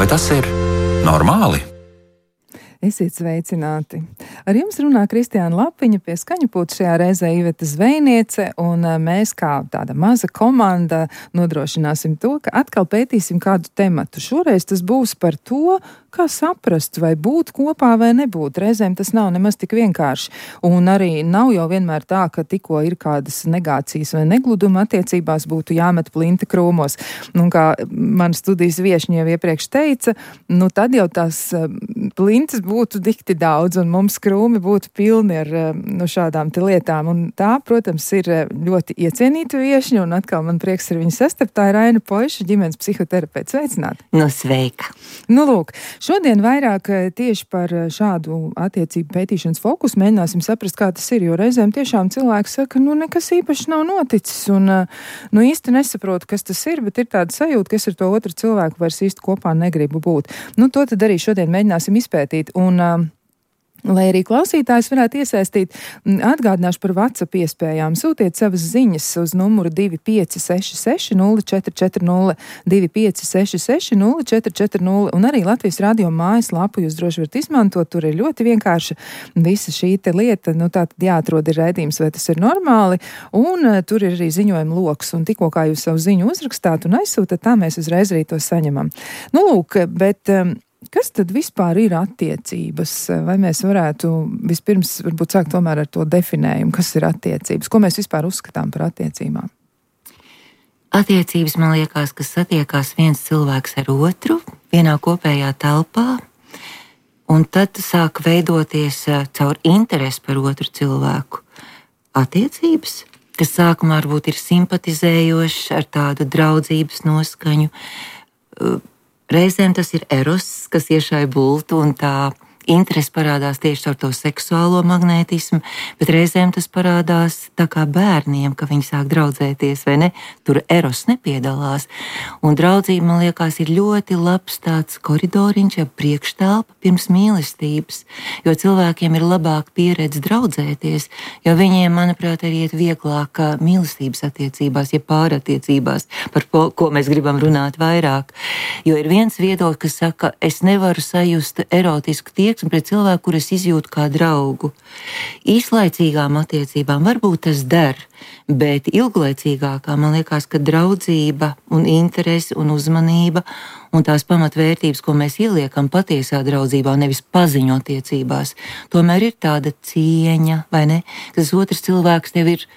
Vai tas ir normāli? Esiet sveicināti! Ar jums runā Kristiāna Lapiņa, pie skaņapulta šajā reizē Iveta Zvejniece, un mēs kā tāda maza komanda nodrošināsim to, ka atkal pētīsim kādu tematu. Šoreiz tas būs par to, kā saprast, vai būt kopā vai nebūt. Reizēm tas nav nemaz tik vienkārši. Un arī nav jau vienmēr tā, ka tikko ir kādas negācijas vai negluduma attiecībās būtu jāmet plinti krūmos. Un kā man studijas viešņi jau iepriekš teica, nu tad jau tās plintas būtu dikti daudz un mums krūmi būtu pilni ar šādām te lietām. Un tā, protams, ir ļoti iecienīta viešņa, un atkal man prieks ar viņu sastapt. Tā ir Aina Poiša, ģimenes psihoterapeits. Sveicināti! Nu, sveika! Nu, lūk, šodien vairāk tieši par šādu attiecību pētīšanas fokusu mēģināsim saprast, kā tas ir, jo reizēm tiešām cilvēks saka, nu, nekas īpaši nav noticis, un nu, īsti nesaprotu, kas tas ir, bet ir tāda sajūta, ka es ar to otru cilvēku vairs īsti kopā negribu būt. Nu, to tad arī šodien mēģināsim izpētīt, un lai arī klausītājs varētu iesaistīt, atgādināšu par WhatsApp iespējām. Sūtiet savas ziņas uz numuru 2566 0440, 2566 0440, un arī Latvijas radio mājaslapu jūs droši varat izmantot. Tur ir ļoti vienkārši visa šī te lieta, nu tā tad jāatrod ir raidījums, vai tas ir normāli, un tur ir arī ziņojuma loks, un tikko kā jūs savu ziņu uzrakstāt un aizsūtat, tā mēs uzreiz arī to saņemam. Nu lūk, bet kas tad vispār ir attiecības? Vai mēs varētu vispirms varbūt sākt tomēr ar to definējumu, kas ir attiecības? Ko mēs vispār uzskatām par attiecībām? Attiecības, man liekas, ka satiekās viens cilvēks ar otru vienā kopējā telpā, un tad sāk veidoties caur interesi par otru cilvēku attiecības, kas sākumā varbūt ir simpatizējošs ar tādu draudzības noskaņu. Reizēm tas ir eros, kas iešai bultu, un tā interese parādās tieši ar to seksuālo magnētismu, bet reizēm tas parādās tā kā bērniem, ka viņi sāk draudzēties, vai ne? Tur eros nepiedalās. Un draudzība, man liekas, ir ļoti labs tāds koridoriņš, ja priekštelpa pirms mīlestības, jo cilvēkiem ir labāka pieredze draudzēties, jo viņiem, manuprāt, arī iet vieglāk mīlestības attiecībās, ja pārattiecībās, par ko mēs gribam runāt vairāk. Jo ir viens viedoklis, kas saka, es nevaru sajust erotisku tieksmi pret cilvēku, kur es izjūtu kā draugu. Īslaicīgām attiecībām varbūt tas der, bet ilglaicīgākā, man liekas, ka draudzība un interese un uzmanība un tās pamatvērtības, ko mēs ieliekam patiesā draudzībā, nevis paziņu attiecībās, tomēr ir tāda cieņa, vai ne? Tas otrs cilvēks tev ir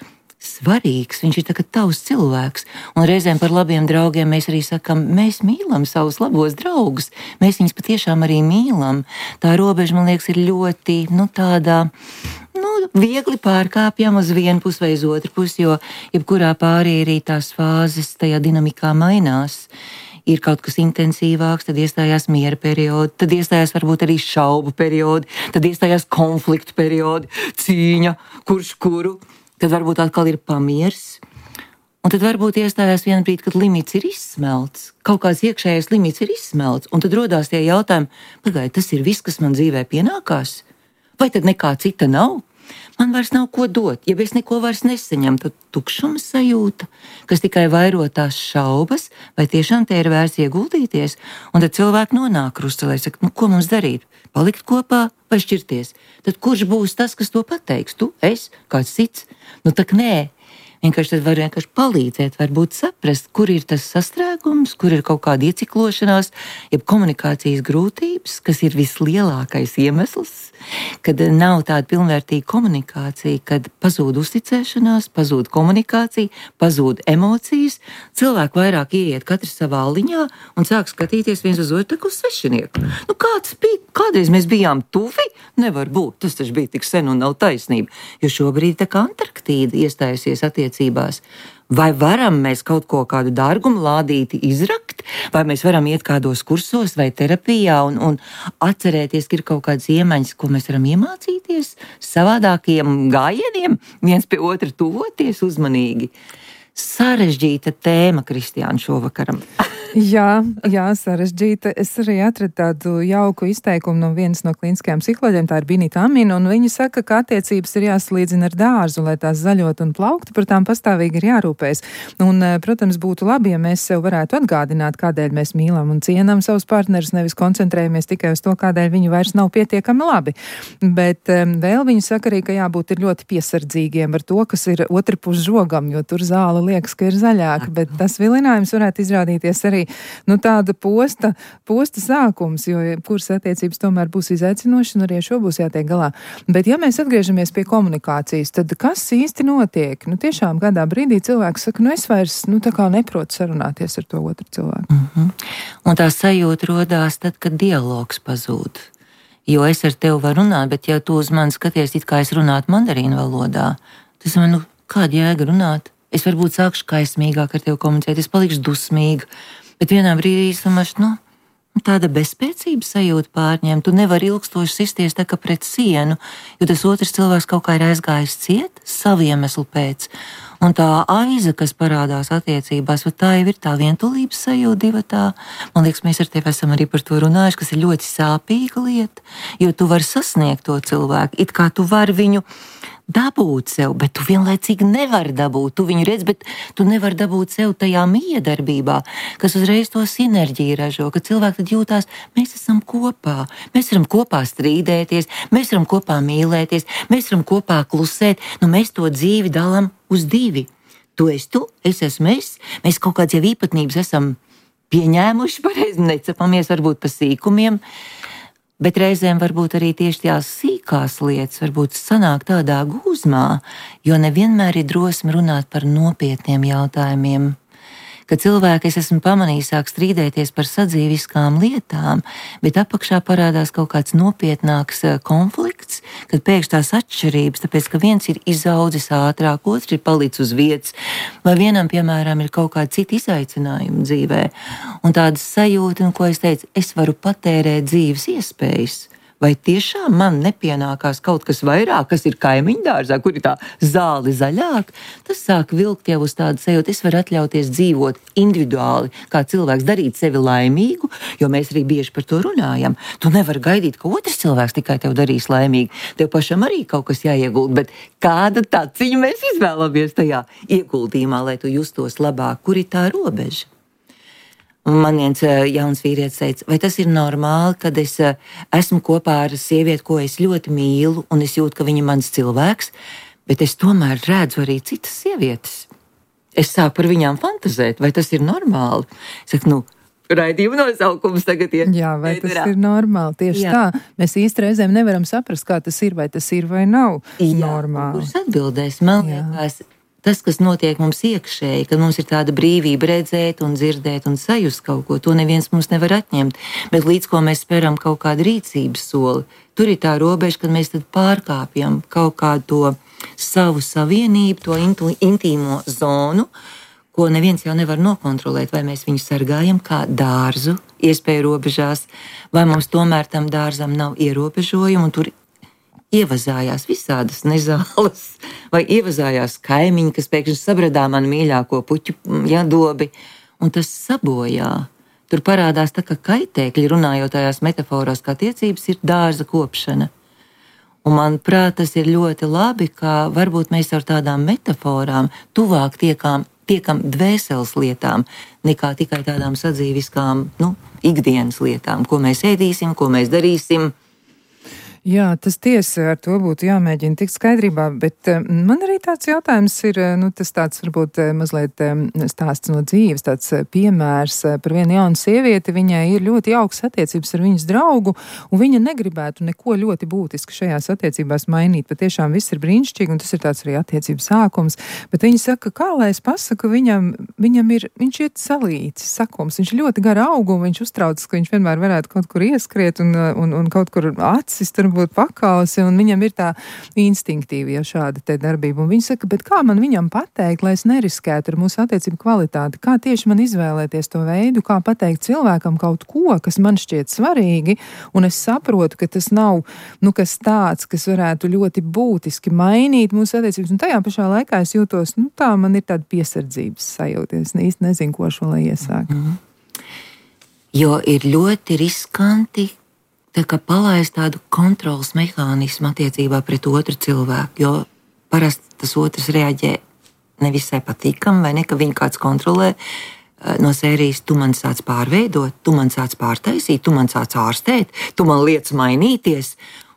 svarīgs, viņš ir tā kā tavs cilvēks, un reizēm par labiem draugiem mēs arī sakam, mēs mīlam savus labos draugus, mēs viņus patiešām arī mīlam. Tā robeža, man liekas, ir ļoti, tādā, viegli pārkāpjama uz vienu pusi vai uz otru pusi, jo jebkurā pārī arī tās fāzes tajā dinamikā mainās. Ir kaut kas intensīvāks, tad iestājās miera periodi, tad iestājās varbūt arī šaubu periodi, tad iestājās konfliktu periodi, cīņa, kurš kuru. Tad varbūt atkal ir pamiers, un tad varbūt iestājās viena brīdi, kad limits ir izsmelts, kaut kāds iekšējais limits ir izsmelts, un tad rodās tie jautājumi, pagaid, tas ir viss, kas man dzīvē pienākās? Vai tad nekā cita nav? Man vairs nav ko dot, ja es neko vairs nesaņemu, tad tukšuma sajūta, kas tikai vairo tās šaubas, vai tiešām te ir vērts ieguldīties, un tad cilvēki nonāk krustcelē, saka, ko mums darīt? Palikt kopā vai šķirties? Tad kurš būs tas, kas to pateiks? Tu, es, kāds cits? Tak nē. Vienkārši tad var vienkārši palīdzēt, varbūt saprast, kur ir tas sastrēgums, kur ir kaut kāda ieciklošanās, jeb komunikācijas grūtības, kas ir vislielākais iemesls, kad nav tāda pilnvērtīga komunikācija, kad pazūd uzticēšanās, pazūd komunikācija, pazūd emocijas, cilvēki vairāk ieiet katrs savā liņā un sāk skatīties viens uz otru tā kā uz svešinieku. Kāds bija, kādreiz mēs bijām tuvi? Nevar būt, tas taču bija tik sen un nav taisnība, jo šobrīd tā kā Antarktīda iestājusies attiecībās. Vai varam mēs kaut ko kādu dārgumu lādīti izrakt, vai mēs varam iet kādos kursos vai terapijā un atcerēties, ka ir kaut kādas iemaņas, ko mēs varam iemācīties savādākiem gājieniem, viens pie otra tuvoties uzmanīgi. Sarežģīta tēma, Kristiāna, šovakaram. Jā, sarežģīta. Es arī atradu tādu jauku izteikumu no vienas no klīniskajām psiholoģiem, tā ir Binita Amina, un viņa saka, ka attiecības ir jāsalīdzina ar dārzu, lai tās zaļot un plauktu, par tām pastāvīgi ir jārūpējas. Un, protams, būtu labi, ja mēs sev varētu atgādināt, kādēļ mēs mīlam un cienam savus partnerus, nevis koncentrējamies tikai uz to, kādēļ viņi vairs nav pietiekami labi. Bet vēl viņa saka arī, ka jābūt ir ļoti piesardzīgiem ar to, kas ir otru pus žogam, jo tur zāle liekas, ka ir zaļāka, bet tas vilinājums varētu izrādīties arī tāda posta sākums, jo kuras attiecības tomēr būs izaicinošas un arī ar šo būs jātiek galā. Bet ja mēs atgriežamies pie komunikācijas, tad kas īsti notiek? Tiešām kādā brīdī cilvēks saka, es vairs tā kā neprotu sarunāties ar to otru cilvēku. Un tā sajūta rodās tad, kad dialogs pazūd. Jo es ar tevi varu runāt, bet ja tu uz mani skaties, it kā es runātu mandarīnu valodā, tas man, kāda jēga runāt? Es varbūt sākšu kaismīgāk ar tevi komunicēt, es palikšu dusmīga, bet vienā brīdī es domāšu, tāda bezspēcības sajūta pārņem, tu nevari ilgstoši sisties tā kā pret sienu, jo tas otrs cilvēks kaut kā ir aizgājis ciet savu iemeslu pēc. Un tā aiza, kas parādās attiecībās, tā jau ir tā vientulības sajūta divatā. Man liekas, mēs ar tevi esam arī par to runājuši, kas ir ļoti sāpīga lieta, jo tu vari sasniegt to cilvēku, it kā tu vari viņu dabūt sev, bet tu vienlaicīgi nevari dabūt. Tu viņu redz, bet tu nevari dabūt sev tajā miedarbībā, kas uzreiz to sinerģiju ražo, ka cilvēki tad jūtās, mēs esam kopā, mēs varam kopā strīdēties, mēs varam kopā mīlēties, mēs varam kopā klusēt, mēs to dzīvi dalām uz divi. Tu esi tu, es esmu es, mēs kaut kāds jau īpatnības esam pieņēmuši, pareizi necapamies varbūt pa sīkumiem, bet reizēm varbūt arī tieši tās sīkās lietas varbūt sanāk tādā gūzmā, jo nevienmēr ir drosme runāt par nopietniem jautājumiem. Kad cilvēki, es esmu pamanījis, sāk strīdēties par sadzīviskām lietām, bet apakšā parādās kaut kāds nopietnāks konflikts, kad pēkšņi tās atšķirības, tāpēc, ka viens ir izaudzis ātrāk, otrs ir palicis uz vietas, vai vienam, piemēram, ir kaut kāda cita izaicinājuma dzīvē. Un tādas sajūta, ko es teicu, es varu patērēt dzīves iespējas. Vai tiešām man nepienākās kaut kas vairāk, kas ir kaimiņdārzā, kur ir tā zāle zaļāk? Tas sāk vilkt jau uz tādu sajūtu, es varu atļauties dzīvot individuāli, kā cilvēks, darīt sevi laimīgu, jo mēs arī bieži par to runājam. Tu nevari gaidīt, ka otrs cilvēks tikai tev darīs laimīgu. Tev pašam arī kaut kas jāieguld, bet kāda taciņa mēs izvēlamies tajā ieguldījumā, lai tu justos labāk, kur ir tā robeža? Un man viens jauns vīrietis teica, vai tas ir normāli, kad es esmu kopā ar sievieti, ko es ļoti mīlu, un es jūtu, ka viņa ir mans cilvēks, bet es tomēr redzu arī citas sievietes. Es sāku par viņām fantazēt, vai tas ir normāli? Es saku, raidījuma nosaukums tagad ir. Jā, vai tas ir normāli? Tieši tā. Mēs īsti reizēm nevaram saprast, kā tas ir vai nav normāli. Kurš atbildēs? Man liekas, tas, kas notiek mums iekšēji, kad mums ir tāda brīvība redzēt un dzirdēt un sajust kaut ko, to neviens mums nevar atņemt. Bet līdz ko mēs speram kaut kādu rīcības soli, tur ir tā robeža, kad mēs tad pārkāpjam kaut kādu to savu savienību, to intīmo zonu, ko neviens jau nevar nokontrolēt, vai mēs viņu sargājam kā dārzu, iespēju robežās, vai mums tomēr tam dārzam nav ierobežojumu, un tur ievazājās visādas nezāles, vai ievazājās kaimiņi, kas pēkšņi sabradā man mīļāko puķu dobi, un tas sabojā. Tur parādās tā, ka kaitēkļi, runājot tajās metaforās, kā attiecības, ir dārza kopšana. Un manuprāt, tas ir ļoti labi, ka varbūt mēs ar tādām metaforām tuvāk tiekam dvēseles lietām, nekā tikai tādām sadzīviskām, ikdienas lietām, ko mēs ēdīsim, ko mēs darīsim. Jā, tas tiesa, ar to būtu jāmēģina tikt skaidrībā, bet man arī tāds jautājums ir, tas tāds varbūt mazliet stāsts no dzīves, tāds piemērs par vienu jaunu sievieti, viņai ir ļoti jauks attiecības ar viņas draugu, un viņa negribētu neko ļoti būtiski šajās attiecībās mainīt, bet tiešām viss ir brīnišķīgi, un tas ir tāds arī attiecības sākums, bet viņa saka, kā lai es pasaku, viņš ir salīts, sakums, viņš ir ļoti gara augu, un viņš uztraucas, ka viņš vienmēr varētu kaut kur ieskriet un kaut kur acis būt pakausi, un viņam ir tā instinktīva šāda te darbība. Un viņi saka, bet kā man viņam pateikt, lai es neriskētu ar mūsu attiecību kvalitāti? Kā tieši man izvēlēties to veidu, kā pateikt cilvēkam kaut ko, kas man šķiet svarīgi, un es saprotu, ka tas nav, kas tāds, kas varētu ļoti būtiski mainīt mūsu attiecības, un tajā pašā laikā es jūtos, tā man ir tāda piesardzības sajūta. Es īsti nezinu, ko šo lai iesāk. Jo ir ļoti riskanti palaist tādu kontrolas mehānismu attiecībā pret otru cilvēku, jo parasti tas otrs reaģē nevisai patīkami, vai ne, ka viņu kāds kontrolē no sērijas, tu man sāc pārveidot, tu man sāc pārtaisīt, tu man sāc ārstēt, tu man liec mainīties,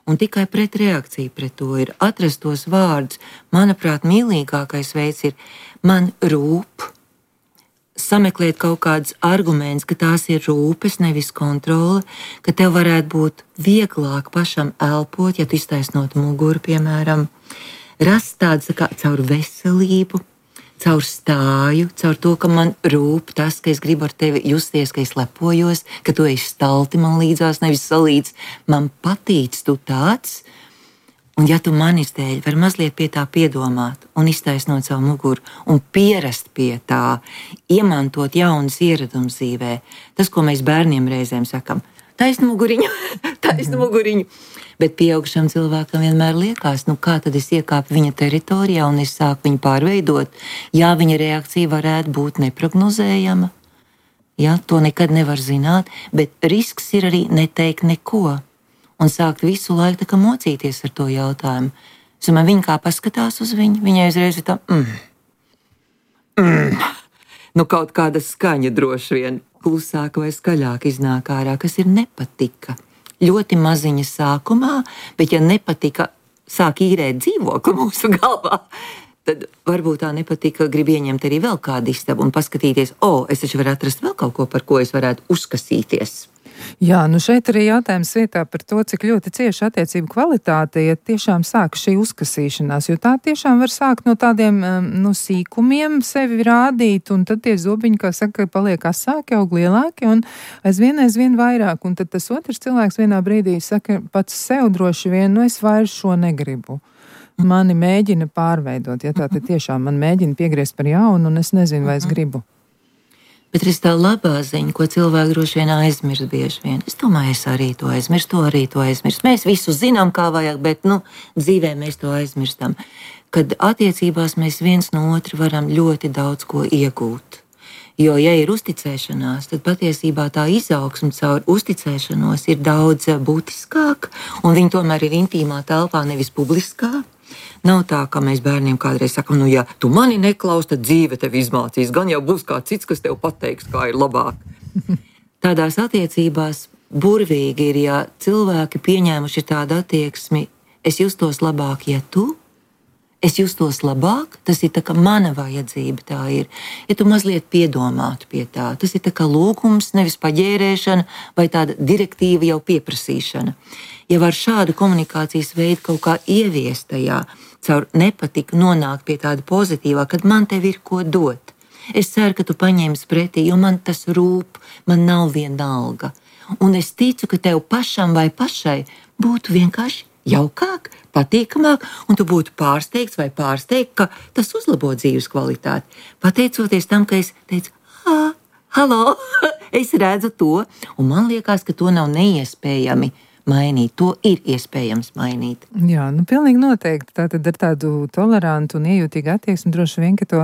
un tikai pretreakcija pret to ir atrast tos vārdus. Manuprāt, mīlīgākais veids ir man rūp, sameklēt kaut kādus argumentus, ka tās ir rūpes, nevis kontrole, ka tev varētu būt vieglāk pašam elpot, ja tu iztaisnot muguru, piemēram, rast tādu kā caur veselību, caur stāju, caur to, ka man rūp tas, ka es gribu ar tevi justies, ka es lepojos, ka tu esi stalti man līdzās, nevis salīdz, man patīc tu tāds. Un ja tu manis dēļ vari mazliet pie tā piedomāt un iztaisnot savu muguru un pierast pie tā, iemantot jaunas ieradumus dzīvē, tas, ko mēs bērniem reizēm sakam, taisnu muguriņu, taisnu muguriņu. Bet pieaugušam cilvēkam vienmēr liekas, kā tad es iekāpu viņa teritorijā un es sāku viņu pārveidot. Jā, viņa reakcija varētu būt neprognozējama, jā, to nekad nevar zināt, bet risks ir arī neteikt neko. Un sākt visu laiku tā kā mocīties ar to jautājumu. Es domāju, viņa kā paskatās uz viņu, viņai uzreiz ir tā, kaut kāda skaņa droši vien klusāka vai skaļāka iznāk ārā, kas ir nepatika. Ļoti maziņa sākumā, bet ja nepatika sāk īrēt dzīvokli mūsu galvā, tad varbūt tā nepatika grib ieņemt arī vēl kādu istabu un paskatīties, es taču varu atrast vēl kaut ko, par ko es varētu uzkasīties. Jā, šeit arī jautājums vietā par to, cik ļoti cieši attiecību kvalitāte, ja tiešām sāk šī uzkasīšanās, jo tā tiešām var sākt no tādiem sīkumiem sevi rādīt, un tad tie zobiņi, kā saka, paliek asāki, aug lielāki, un aizvien vairāk, un tad tas otrs cilvēks vienā brīdī saka pats sev droši vien, es vairs šo negribu. Mani mēģina pārveidot, ja tā tiešām man mēģina piegriezt par jaunu, un es nezinu, vai es gribu. Bet ir tā labā ziņa, ko cilvēki droši vien aizmirst bieži vien. Es domāju, es arī to aizmirstu. Mēs visu zinām, kā vajag, bet dzīvē mēs to aizmirstam. Kad attiecībās mēs viens no otra varam ļoti daudz ko iegūt. Jo, ja ir uzticēšanās, tad patiesībā tā izaugsme caur uzticēšanos ir daudz būtiskāka, un viņi tomēr ir intīmā telpā, nevis publiskā. Nav tā, ka mēs bērniem kādreiz sakam, ja tu mani neklaus, tad dzīve tevi izmācīs. Gan jau būs kāds cits, kas tev pateiks, kā ir labāk. Tādās attiecībās burvīgi ir, ja cilvēki pieņēmuši tādu attieksmi, es justos labāk, ja tu, es justos labāk, tas ir tā kā mana vajadzība tā ir. Ja tu mazliet piedomātu pie tā, tas ir tā kā lūgums, nevis paģērēšana vai tāda direktīva jau pieprasīšana. Ja var šādu komunikācijas veidu kaut kā ieviest tajā, caur nepatiku nonākt pie tāda pozitīvā, kad man tev ir ko dot. Es ceru, ka tu paņemsi pretī, jo man tas rūp, man nav vienalga. Un es ticu, ka tev pašam vai pašai būtu vienkārši jaukāk, patīkamāk, un tu būtu pārsteigts vai pārsteigts, ka tas uzlabo dzīves kvalitāti. Pateicoties tam, ka es teicu, halo, es redzu to, un man liekas, ka to nav neiespējami mainīt. To ir iespējams mainīt. Jā, pilnīgi noteikti. Tātad ar tādu tolerantu un iejūtīgu attieksmi droši vien, ka to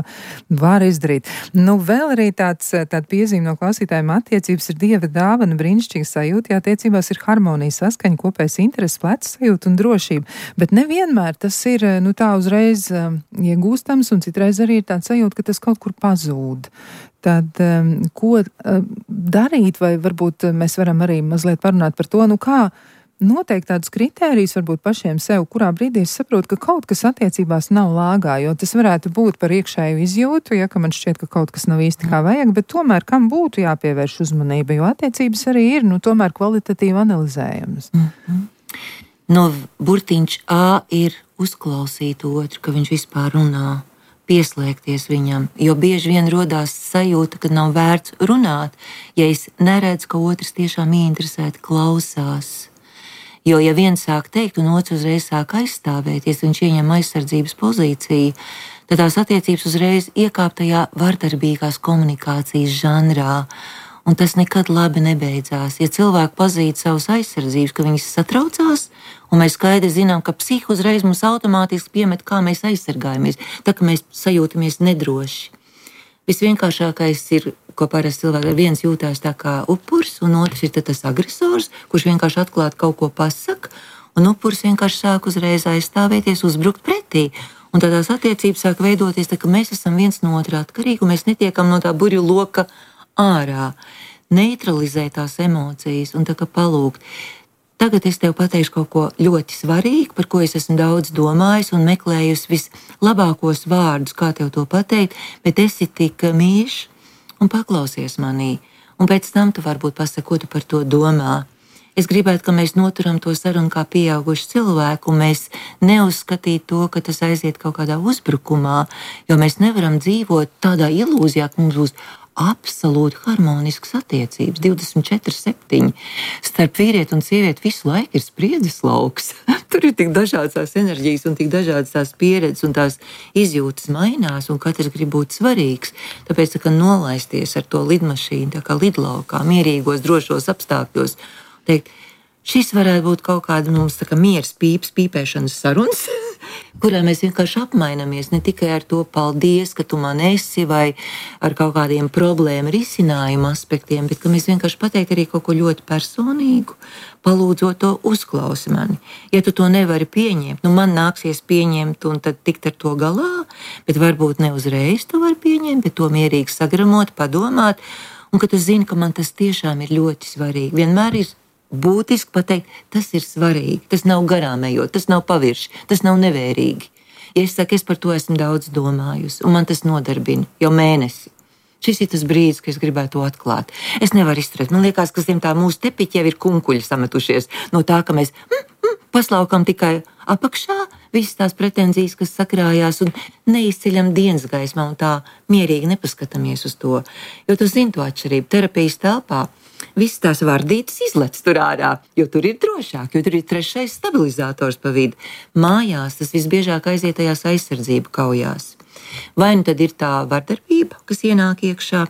var izdarīt. Vēl arī tāda piezīme no klausītājiem attiecības ir Dieva dāvana, brīnišķīga sajūta, ja attiecībās ir harmonija, saskaņa, kopējs intereses, plecs sajūta un drošība. Bet nevienmēr tas ir, tā uzreiz iegūstams, un citreiz arī ir tāds sajūta, ka tas kaut kur pazūd. Tad, ko darīt, vai varbūt mēs varam arī mazliet parunāt par to, kā noteikt tādus kritērijus varbūt pašiem sev, kurā brīdī es saprotu, ka kaut kas attiecībās nav lāgā, jo tas varētu būt par iekšēju izjūtu, ka man šķiet, ka kaut kas nav īsti kā vajag, bet tomēr kam būtu jāpievērš uzmanība, jo attiecības arī ir, tomēr kvalitatīvi analizējamas. Burtiņš A ir uzklausīt otru, ka viņš vispār runā, pieslēgties viņam, jo bieži vien rodās sajūta, ka nav vērts runāt, ja es neredzu, ka otrs tiešām ieinteresēti klausās. Jo, ja viens sāk teikt, un otrs uzreiz sāk aizstāvēties, viņš ieņem aizsardzības pozīciju, tad tās attiecības uzreiz iekāp tajā vardarbīgās komunikācijas žanrā, un tas nekad labi nebeidzās. Ja cilvēki pazīst savus aizsardzības, ka viņas satraucās, un mēs skaidri zinām, ka psihi uzreiz mums automātiski piemet, kā mēs aizsargājamies, tā ka mēs sajūtamies nedroši. Visvienkāršākais ir ko parasti cilvēki viens jūtās tā kā upuris, un otrs ir tas agresors, kurš vienkārši atklāti kaut ko pasaka, un upuris vienkārši sāk uzreiz aizstāvēties, uzbrukt pretī. Un tādās attiecības sāk veidoties, tā, ka mēs esam viens no otra atkarīgi, un mēs netiekam no tā burju loka ārā. Neutralizēt tās emocijas un tā kā palūgt. Tagad es tev pateikšu kaut ko ļoti svarīgu, par ko es esmu daudz domājis un meklējusi vislabākos vārdus, kā tev to pateikt, bet esi tik mīļš un paklausies manī. Un pēc tam tu varbūt pasaki, ko tu par to domā. Es gribētu, ka mēs noturam to sarunu kā pieauguši cilvēki, un mēs neuzskatītu to, ka tas aiziet kaut kādā uzbrukumā, jo mēs nevaram dzīvot tādā ilūzijā, ka mums būs absolūti harmoniskas attiecības, 24/7. Starp vīrieti un sievieti visu laiku ir spriedzes lauks. Tur ir tik dažādas tās enerģijas un tik dažādas tās pieredzes un tās izjūtas mainās, un katrs grib būt svarīgs. Tāpēc tā kā nolaisties ar to lidmašīnu, tā kā lidlaukā, mierīgos, drošos apstākļos, teikt, šis varētu būt kaut kāda mums tā kā mieras pīpēšanas sarunas, kurā mēs vienkārši apmainamies ne tikai ar to paldies, ka tu man esi, vai ar kaut kādiem problēmu risinājumu aspektiem, bet ka mēs vienkārši pateikt arī kaut ko ļoti personīgu, palūdzot to uzklausi mani. Ja tu to nevari pieņemt, man nāksies pieņemt un tad tikt ar to galā, bet varbūt ne uzreiz to var pieņemt, bet to mierīgi sagramot, padomāt, un ka tu zini, ka man tas tiešām ir ļoti svarīgi. Vienmēr ir būtiski pateikt, tas ir svarīgi, tas nav garām ejot, tas nav pavirši, tas nav nevērīgi. Ja es saku, es par to esmu daudz domājusi, un man tas nodarbina jau mēnesi. Šis ir tas brīdis, kad es gribētu to atklāt. Es nevaru izturēt. Man liekas, ka zem tā mūsu tepiķi jau ir kunkuļi sametušies no tā, ka mēs paslaukam tikai apakšā visas tās pretenzijas, kas sakrājās, un neizceļam dienas gaismā un tā mierīgi nepaskatāmies uz to. Jo tu zini to atšķirību. Terapijas telpā visas tās vardītas izlec tur ārā, jo tur ir drošāk, jo tur ir trešais stabilizators pa vidu. Mājās tas visbiežāk aiziet tajās aizsardzību kaujās. Vai nu tad ir tā vardarbība, kas ienāk iekšā,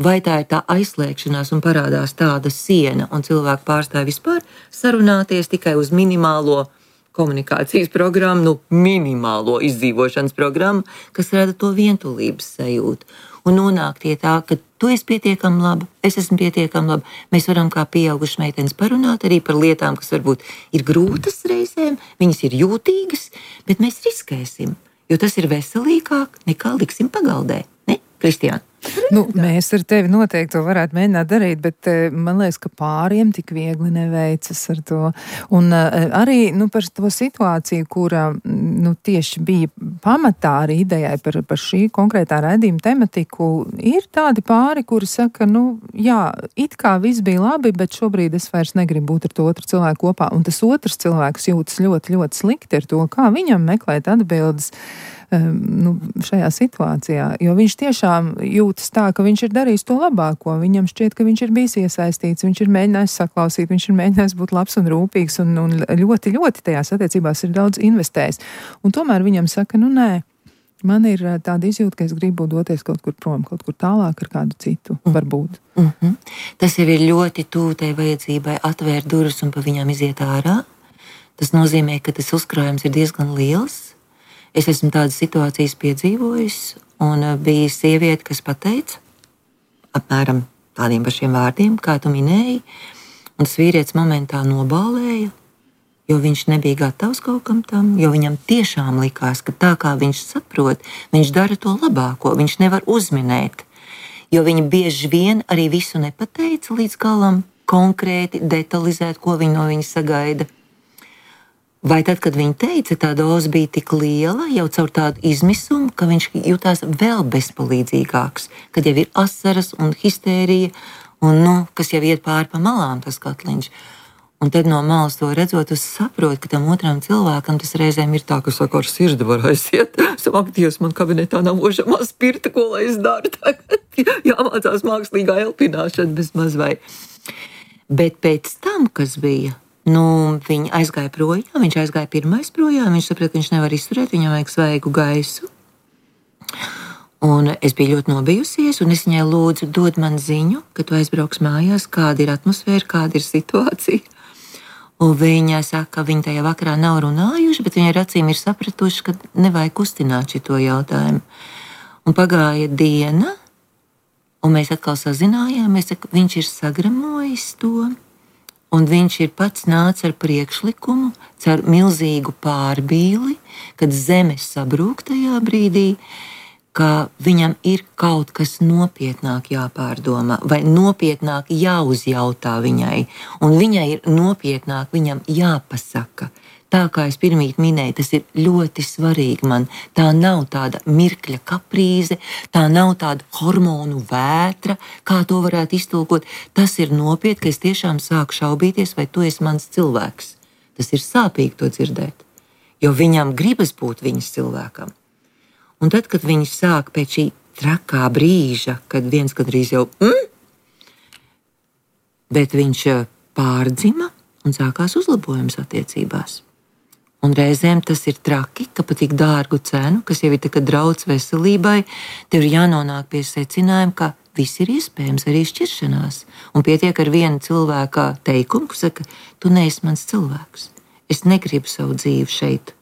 vai tā ir tā aizslēgšanās un parādās tāda siena, un cilvēki pārstāj vispār sarunāties tikai uz minimālo komunikācijas programmu, minimālo izdzīvošanas programmu, kas rada to vientulības sajūtu. Un nonākt pie tā, ka tu esi pietiekami laba, es esmu pietiekami laba. Mēs varam kā pieaugušas meitenes parunāt arī par lietām, kas varbūt ir grūtas reizēm, viņas ir jūtīgas, bet mēs riskēsim, jo tas ir veselīgāk nekā liksim pagaldē. Ne, Kristiāna? Mēs ar tevi noteikti to varētu mēģināt darīt, bet man liekas, ka pāriem tik viegli neveicas ar to. Un arī par to situāciju, kura tieši bija pamatā arī idejai par šī konkrētā raidījuma tematiku, ir tādi pāri, kuri saka, jā, it kā viss bija labi, bet šobrīd es vairs negribu būt ar to otru cilvēku kopā. Un tas otrs cilvēks jūtas ļoti, ļoti slikti ar to, kā viņam meklēt atbildes šajā situācijā, jo viņš tiešām jūtas tā, ka viņš ir darījis to labāko, viņam šķiet, ka viņš ir bijis iesaistīts, viņš ir mēģinājis saklausīt, viņš ir mēģinājis būt labs un rūpīgs un ļoti, ļoti tajās attiecībās ir daudz investējis. Un tomēr viņam saka, nē, man ir tāda izjūta, ka es gribu doties kaut kur prom, kaut kur tālāk ar kādu citu, varbūt. Tas jau ir ļoti tuvu tai vajadzībai atvērt durvis un pa viņām iziet ārā. Tas nozīmē, ka tas uzkrājums ir diezgan liels. Es esmu tādas situācijas piedzīvojis, un bija sieviete, kas pateica apmēram tādiem pašiem vārdiem, kā tu minēji, un tas vīrietis momentā nobālēja, jo viņš nebija gatavs kaut kam tam, jo viņam tiešām likās, ka tā kā viņš saprot, viņš dara to labāko, viņš nevar uzminēt, jo viņi bieži vien arī visu nepateica līdz galam, konkrēti, detalizēt, ko viņi no viņa sagaida. Vai tad, kad viņa teica, tā doze bija tik liela, jau caur tādu izmisumu, ka viņš jutās vēl bezpalīdzīgāks, kad jau ir asaras un histērija, un, kas jau iet pāri pa malām tas katliņš. Un tad no malas to redzot, es saprotu, ka tam otram cilvēkam tas reizēm ir tā, ka saka, ar sirdi var aiziet. Ak, Dievs, man kabinetā nav ožamā spirta, ko lai es daru tagad? Jāmācās mākslīgā elpināšana bez maz vai. Bet pēc tam, kas bija, viņi aizgāja projām, viņš aizgāja pirmais projām, viņš saprata, ka viņš nevar izturēt, viņam vajag svaigu gaisu. Un es biju ļoti nobijusies, un es viņai lūdzu, dod man ziņu, ka tu aizbrauks mājās, kāda ir atmosfēra, kāda ir situācija. Un viņa saka, ka viņi tajā vakarā nav runājuši, bet viņi ar acīm ir sapratuši, ka nevajag kustināt šito jautājumu. Un pagāja diena, Un mēs atkal sazinājāmies, ka viņš ir sagramojis to, un viņš ir pats nācis ar priekšlikumu, caur milzīgu pārbīli, kad zeme sabrūk tajā brīdī, ka viņam ir kaut kas nopietnāk jāpārdomā, vai nopietnāk jāuzjautā viņai, un viņai ir nopietnāk viņam jāpasaka. Tā kā es pirmīt minēju, tas ir ļoti svarīgi man. Tā nav tāda mirkļa kaprīze, tā nav tāda hormonu vētra, kā to varētu iztulkot. Tas ir nopietni, ka es tiešām sāku šaubīties, vai tu esi mans cilvēks. Tas ir sāpīgi to dzirdēt, jo viņam gribas būt viņas cilvēkam. Un tad, kad viņi sāk pēc šī trakā brīža, kad viens gandrīz jau bet viņš pārdzima un sākās uzlabojums attiecībās. Un reizēm tas ir traki, ka par tik dārgu cenu, kas jau ir tā kā draudz veselībai, tev ir jānonāk pie secinājuma, ka viss ir iespējams arī šķiršanās. Un pietiek ar vienu cilvēka teikumu, kas saka, tu neesi mans cilvēks. Es negribu savu dzīvi šeit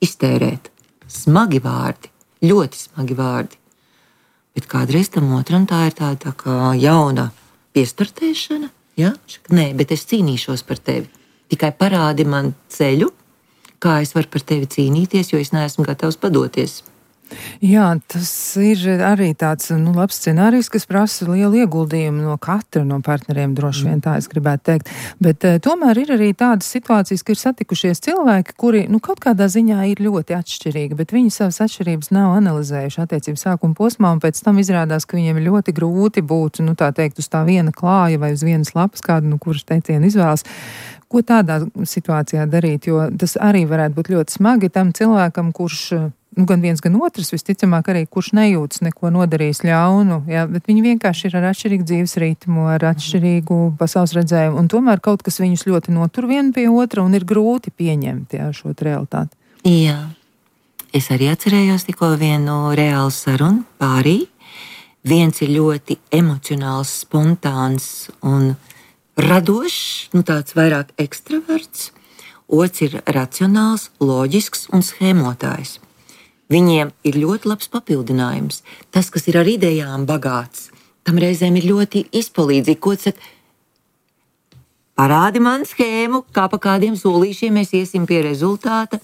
iztērēt. Smagi vārdi, ļoti smagi vārdi. Bet kādreiz tam otram tā ir tā kā jauna piestartēšana. Ja? Nē, bet es cīnīšos par tevi. Tikai parādi man ceļu, kā es varu par tevi cīnīties, jo es neesmu gatavs padoties. Jā, tas ir arī tāds labs scenārijs, kas prasa lielu ieguldījumu no katra no partneriem, droši vien tā es gribētu teikt. Bet tomēr ir arī tādas situācijas, ka ir satikušies cilvēki, kuri kaut kādā ziņā ir ļoti atšķirīgi, bet viņi savas atšķirības nav analizējuši attiecību sākuma posmā, un pēc tam izrādās, ka viņiem ir ļoti grūti būt, tā teikt, uz tā viena klāja vai uz vienas lapas kādu, kuras teicienu izvēlas. Ko tādā situācijā darīt, jo tas arī varētu būt ļoti smagi tam cilvēkam, kurš gan viens, gan otrs, visticamāk arī, kurš nejūtas neko nodarījis ļaunu, ja, bet viņi vienkārši ir ar atšķirīgu dzīves ritmu, ar atšķirīgu pasaules redzējumu, un tomēr kaut kas viņus ļoti notur vienu pie otra, un ir grūti pieņemt šo realitāti. Jā, es arī atcerējos tikko vienu reālu sarunu pārī. Viens ir ļoti emocionāls, spontāns un radošs, tāds vairāk ekstraverts, otrs ir racionāls, loģisks un schēmotājs. Viņiem ir ļoti labs papildinājums. Tas, kas ir ar idejām bagāts, tam reizēm ir ļoti izpalīdzīgi. Ko tas saka? Parādi man schēmu, kā pa kādiem solīšiem mēs iesim pie rezultāta,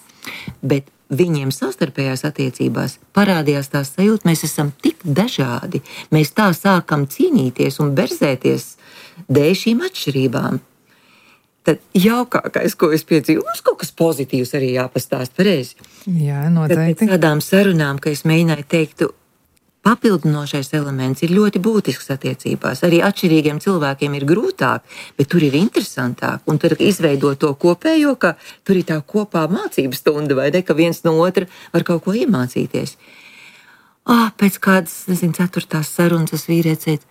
bet viņiem savstarpējās attiecībās parādījās tā sajūta, mēs esam tik dažādi, mēs tā sākam cīnīties un berzēties dēļ šīm atšķirībām. Tad jaukākais, ko es piedzīvoju, mums kaut kas pozitīvs arī jāpastāst pareizi. Jā, noteikti. Tad pēc tādām sarunām, ka es mēģināju teikt, papildinošais elements ir ļoti būtisks attiecībās. Arī atšķirīgiem cilvēkiem ir grūtāk, bet tur ir interesantāk. Un tur izveido to kopējo, ka tur ir tā kopā mācības stunda, vai ne, ka viens no otra var kaut ko iemācīties. Pēc kādas, 4. sarunas tas vīrietis teica,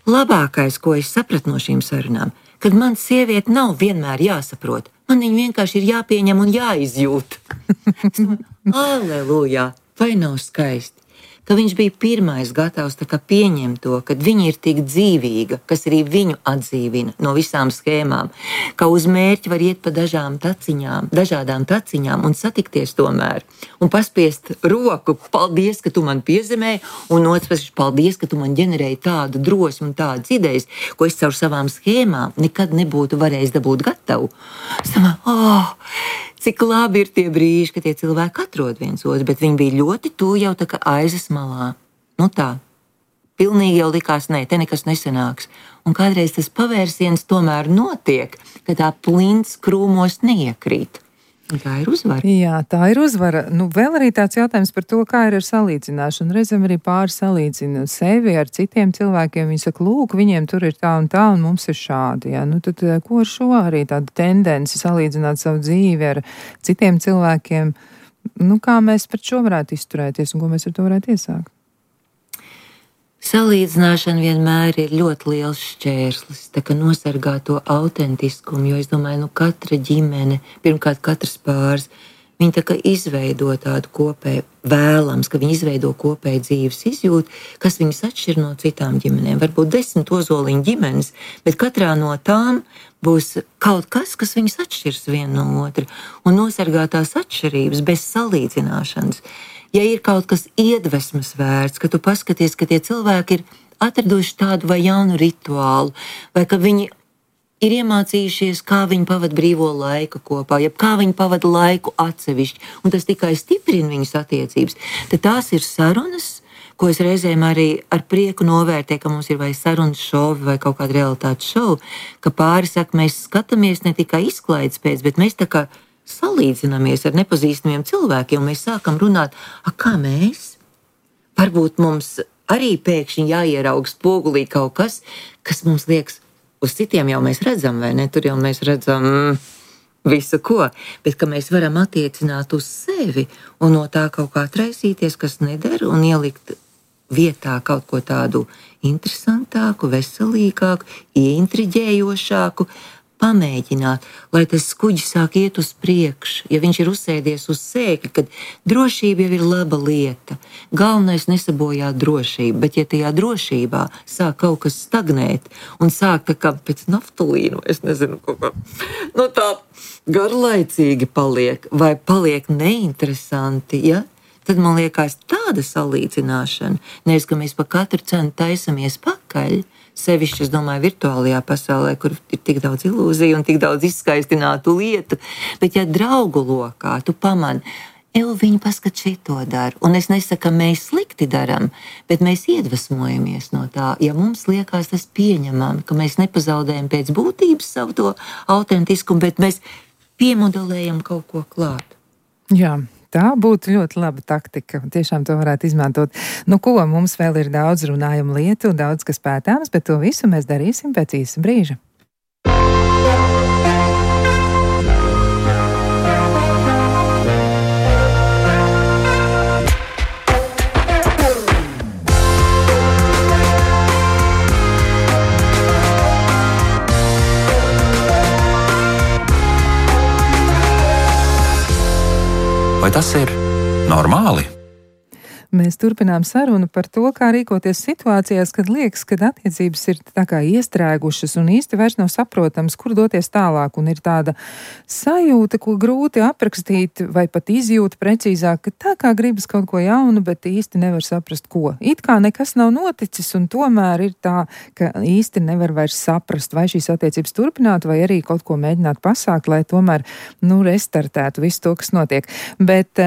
labākais, ko es sapratu no šīm sarunām, kad man sieviete nav vienmēr jāsaprot, man viņa vienkārši ir jāpieņem un jāizjūt. Aleluja, vai nav skaisti? Ka viņš bija pirmais gatavs pieņemt to, ka viņa ir tik dzīvīga, kas arī viņu atdzīvina no visām schēmām, ka uz mērķi var iet pa dažādām taciņām un satikties tomēr, un paspiest roku, paldies, ka tu man piezemēji, un otrs, paldies, ka tu man ģenerēji tādu drosmu un tādas idejas, ko es caur savām schēmām nekad nebūtu varējis dabūt gatavu. Es domāju, cik labi ir tie brīži, kad tie cilvēki atrod viens otru, bet viņi bija ļoti tuvu jau tā kā aizas malā. Pilnīgi jau likās, te nekas nesanāks. Un kādreiz tas pavērsiens tomēr notiek, ka tā plints krūmos neiekrīt. Un tā ir uzvara. Jā, tā ir uzvara. Vēl arī tāds jautājums par to, kā ir ar salīdzināšanu. Reizēm arī pāri salīdzina sevi ar citiem cilvēkiem. Viņi saka, lūk, viņiem tur ir tā, un mums ir šādi. Ja? Tad ko ar šo arī tādu tendenci salīdzināt savu dzīvi ar citiem cilvēkiem? Kā mēs pret šo varētu izturēties un ko mēs ar to varētu iesākt? Salīdzināšana vienmēr ir ļoti liels šķērslis, tā kā nosargā to autentiskumu, jo es domāju, katra ģimene, pirmkārt katrs pāris, viņi tā kā izveido tādu kopēju, vēlams, ka viņi izveido kopēju dzīves izjūtu, kas viņus atšķir no citām ģimenēm. Varbūt 10 ozoliņu ģimenes, bet katrā no tām būs kaut kas, kas viņus atšķirs viena no otra, un nosargā tās atšķirības bez salīdzināšanas. Ja ir kaut kas iedvesmas vērts, ka tu paskaties, ka tie cilvēki ir atraduši tādu vai jaunu rituālu, vai ka viņi ir iemācījušies, kā viņi pavada brīvo laiku kopā, jeb kā viņi pavada laiku atsevišķi, un tas tikai stiprina viņas attiecības, tad tās ir sarunas, ko es reizēm arī ar prieku novērtēju, ka mums ir vai sarunas šovi vai kaut kāda realitātes šovu, ka pāri saka, mēs skatāmies ne tikai izklaides pēc, bet mēs tā kā salīdzinamies ar nepazīstamiem cilvēkiem, un mēs sākam runāt, kā mēs? Varbūt mums arī pēkšņi jāieraug spogulī kaut kas, kas mums liekas, uz citiem jau mēs redzam, vai ne? Tur jau mēs redzam visu ko, bet ka mēs varam attiecināt uz sevi un no tā kaut kā traisīties, kas nedara, un ielikt vietā kaut ko tādu interesantāku, veselīgāku, ieintriģējošāku, pamēģināt, lai tas kuģis sāk iet uz priekšu. Ja viņš ir uzsēdies uz sēkļa, kad drošība jau ir laba lieta. Galvenais nesabojāt drošību, bet ja tajā drošībā sāk kaut kas stagnēt un sāk tā kā pēc naftalīnu, es nezinu, kaut kā, tā garlaicīgi paliek vai paliek neinteresanti, ja? Tad man liekas tāda salīdzināšana, nevis, ka mēs pa katru cenu taisamies pakaļ, sevišķi, es domāju, virtuālajā pasaulē, kur ir tik daudz ilūziju un tik daudz izskaistinātu lietu, bet ja draugu lokā tu pamani, viņi paskat šito dara, un es nesaku, ka mēs slikti daram, bet mēs iedvesmojamies no tā, ja mums liekas tas pieņemam, ka mēs nepazaudējam pēc būtības savu to autentiskumu, bet mēs piemodelējam kaut ko klāt. Jā. Tā būtu ļoti laba taktika. Tiešām to varētu izmantot. Ko, mums vēl ir daudz runājumu lietu, daudz kas pētāms, bet to visu mēs darīsim pēc īsa brīža. Vai tas ir normāli? Mēs turpinām sarunu par to, kā rīkoties situācijās, kad liekas, ka attiecības ir tā kā iestrēgušas un īsti vairs nav saprotams, kur doties tālāk, un ir tāda sajūta, ko grūti aprakstīt vai pat izjūta precīzāk, ka tā kā gribas kaut ko jaunu, bet īsti nevar saprast, ko. It kā nekas nav noticis, un tomēr ir tā, ka īsti nevar vairs saprast, vai šīs attiecības turpināt, vai arī kaut ko mēģināt pasākt, lai tomēr, restartētu visu to, kas notiek. Bet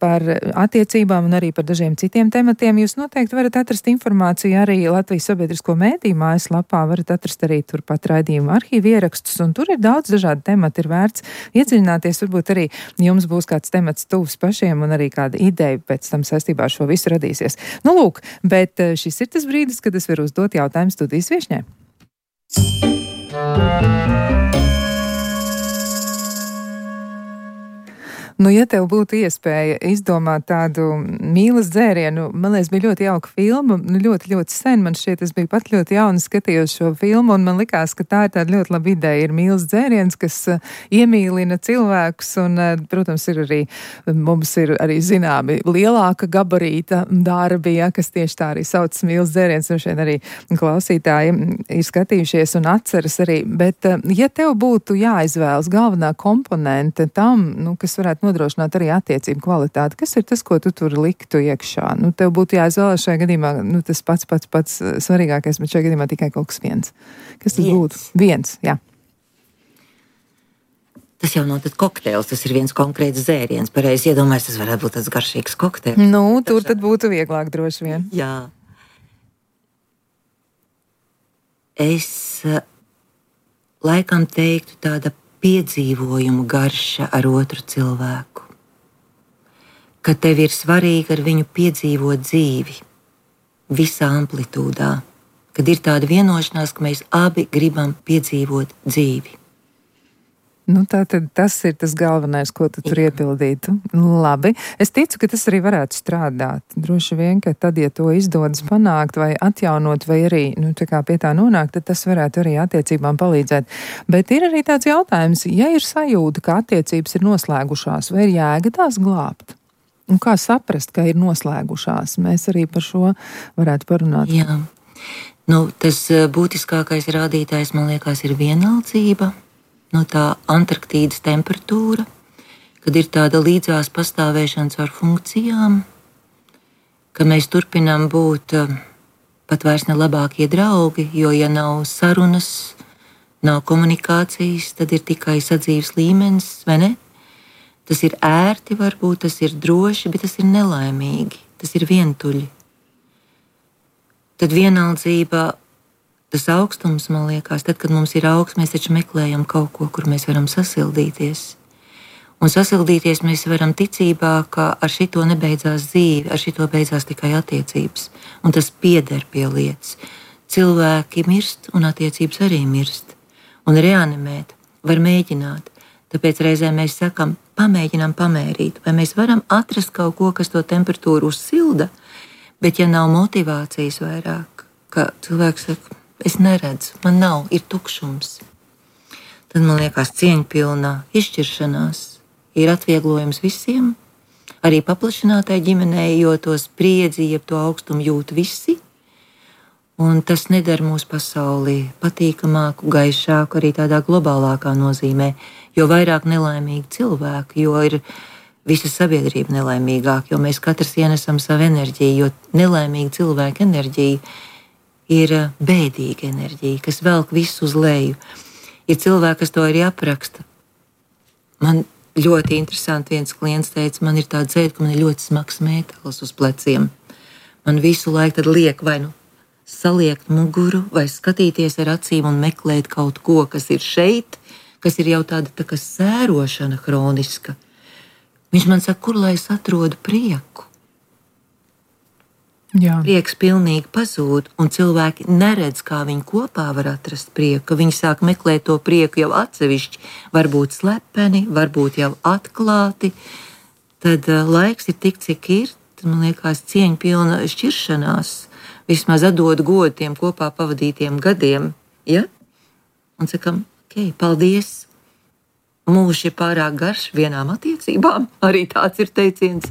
par attiecībām un arī par dažiem citiem tematiem jūs noteikti varat atrast informāciju arī Latvijas sabiedrisko mēdīju mājaslapā, varat atrast arī turpat raidījuma arhīvu ierakstus, un tur ir daudz dažādu tematu, ir vērts iedziļināties, varbūt arī jums būs kāds temats tuvs pašiem un arī kāda ideja pēc tam saistībā ar šo visu radīsies. Lūk, bet šis ir tas brīdis, kad es varu uzdot jautājumu studijas viešņai. Ja tev būtu iespēja izdomāt tādu mīlas dzērienu, man liekas, bija ļoti jauka filma, ļoti, ļoti sen, man šķiet, es biju pat ļoti jauna, skatījos šo filmu, un man likās, ka tā ir tāda ļoti laba ideja, ir mīlas dzēriens, kas iemīlina cilvēkus, un, protams, mums ir arī zināmi lielāka gabarīta darbi, kas tieši tā arī sauc mīlas dzēriens, un šeit arī klausītāji ir skatījušies un atceras arī, bet ja tev būtu jāizvēlas galvenā komponente tam, kas varētu nodrošināt arī attiecību kvalitāti. Kas ir tas, ko tu tur liktu iekšā? Tev būtu jāizvēlas šajā gadījumā, tas pats svarīgākais, bet šajā gadījumā tikai kaut kas viens. Kas tas būtu? Viens, jā. Tas jau nav tad kokteils, tas ir viens konkrēts dzēriens. Pareizi iedomājies, tas varētu būt tāds garšīgs kokteils. Tur tad būtu vieglāk droši vien. Jā. Es laikam teiktu tāda piedzīvojumu garša ar otru cilvēku. Ka tev ir svarīgi ar viņu piedzīvot dzīvi visā amplitūdā. Kad ir tāda vienošanās, ka mēs abi gribam piedzīvot dzīvi. Tātad tas ir tas galvenais, ko tu tur iepildītu. Labi. Es ticu, ka tas arī varētu strādāt. Droši vien, ka tad, ja to izdodas panākt vai atjaunot, vai arī pie tā nonākt, tad tas varētu arī attiecībām palīdzēt. Bet ir arī tāds jautājums, ja ir sajūta, ka attiecības ir noslēgušās, vai ir jēga tās glābt? Un kā saprast, ka ir noslēgušās? Mēs arī par šo varētu parunāt. Jā. Tas būtiskākais rādītājs, man liekas, ir vienaldzība. Tā Antarktīdas temperatūra, kad ir tāda līdzās pastāvēšana ar funkcijām, ka mēs turpinām būt pat vairs ne labākie draugi, jo ja nav sarunas, nav komunikācijas, tad ir tikai sadzīves līmenis, vai ne? Tas ir ērti, varbūt tas ir droši, bet tas ir nelaimīgi, tas ir vientuļi. Tad vienaldzība, tas augstums, man liekas, tad, kad mums ir augsts, mēs taču meklējam kaut ko, kur mēs varam sasildīties. Un sasildīties mēs varam ticībā, ka ar šito nebeidzās dzīve, ar šito beidzās tikai attiecības. Un tas pieder pie lietas. Cilvēki mirst, un attiecības arī mirst. Un reanimēt var mēģināt. Tāpēc reizēm mēs sakam, pamēģinām pamērīt, vai mēs varam atrast kaut ko, kas to temperatūru uzsilda, bet ja nav motivācijas vairāk, ka cilvēks saka, es neredzu, man nav, ir tukšums. Tad man liekas cieņpilnā izšķiršanās ir atvieglojums visiem, arī paplašinātai ģimenei, jo to spriedzi, jeb to augstumu jūt visi, un tas nedara mūsu pasauli patīkamāku, gaišāku, arī tādā globālākā nozīmē, jo vairāk nelaimīgi cilvēki, jo ir visa sabiedrība nelaimīgāka, jo mēs katrs ienesam savu enerģiju, jo nelaimīga cilvēka enerģija ir bēdīga enerģija, kas velk visu uz leju. Ir cilvēki, kas to arī apraksta. Man ļoti interesanti viens klients teica, man ir tāda dzēta, ka man ir ļoti smags metāls uz pleciem. Man visu laiku tad liek vai nu saliekt muguru, vai skatīties ar acīm un meklēt kaut ko, kas ir šeit, kas ir jau tāda tā kā sērošana hroniska. Viņš man saka, kur lai es atrodu prieku? Jā. Prieks pilnīgi pazūd, un cilvēki neredz, kā viņi kopā var atrast prieku, ka viņi sāk meklēt to prieku jau atsevišķi, varbūt slepeni, varbūt jau atklāti. Tad laiks ir tik, cik ir, tad man liekas cieņpilna šķiršanās, vismaz atdod godu tiem kopā pavadītiem gadiem, ja? Un sakam, ok, paldies, mūžs ir pārāk garš vienām attiecībām, arī tāds ir teiciens,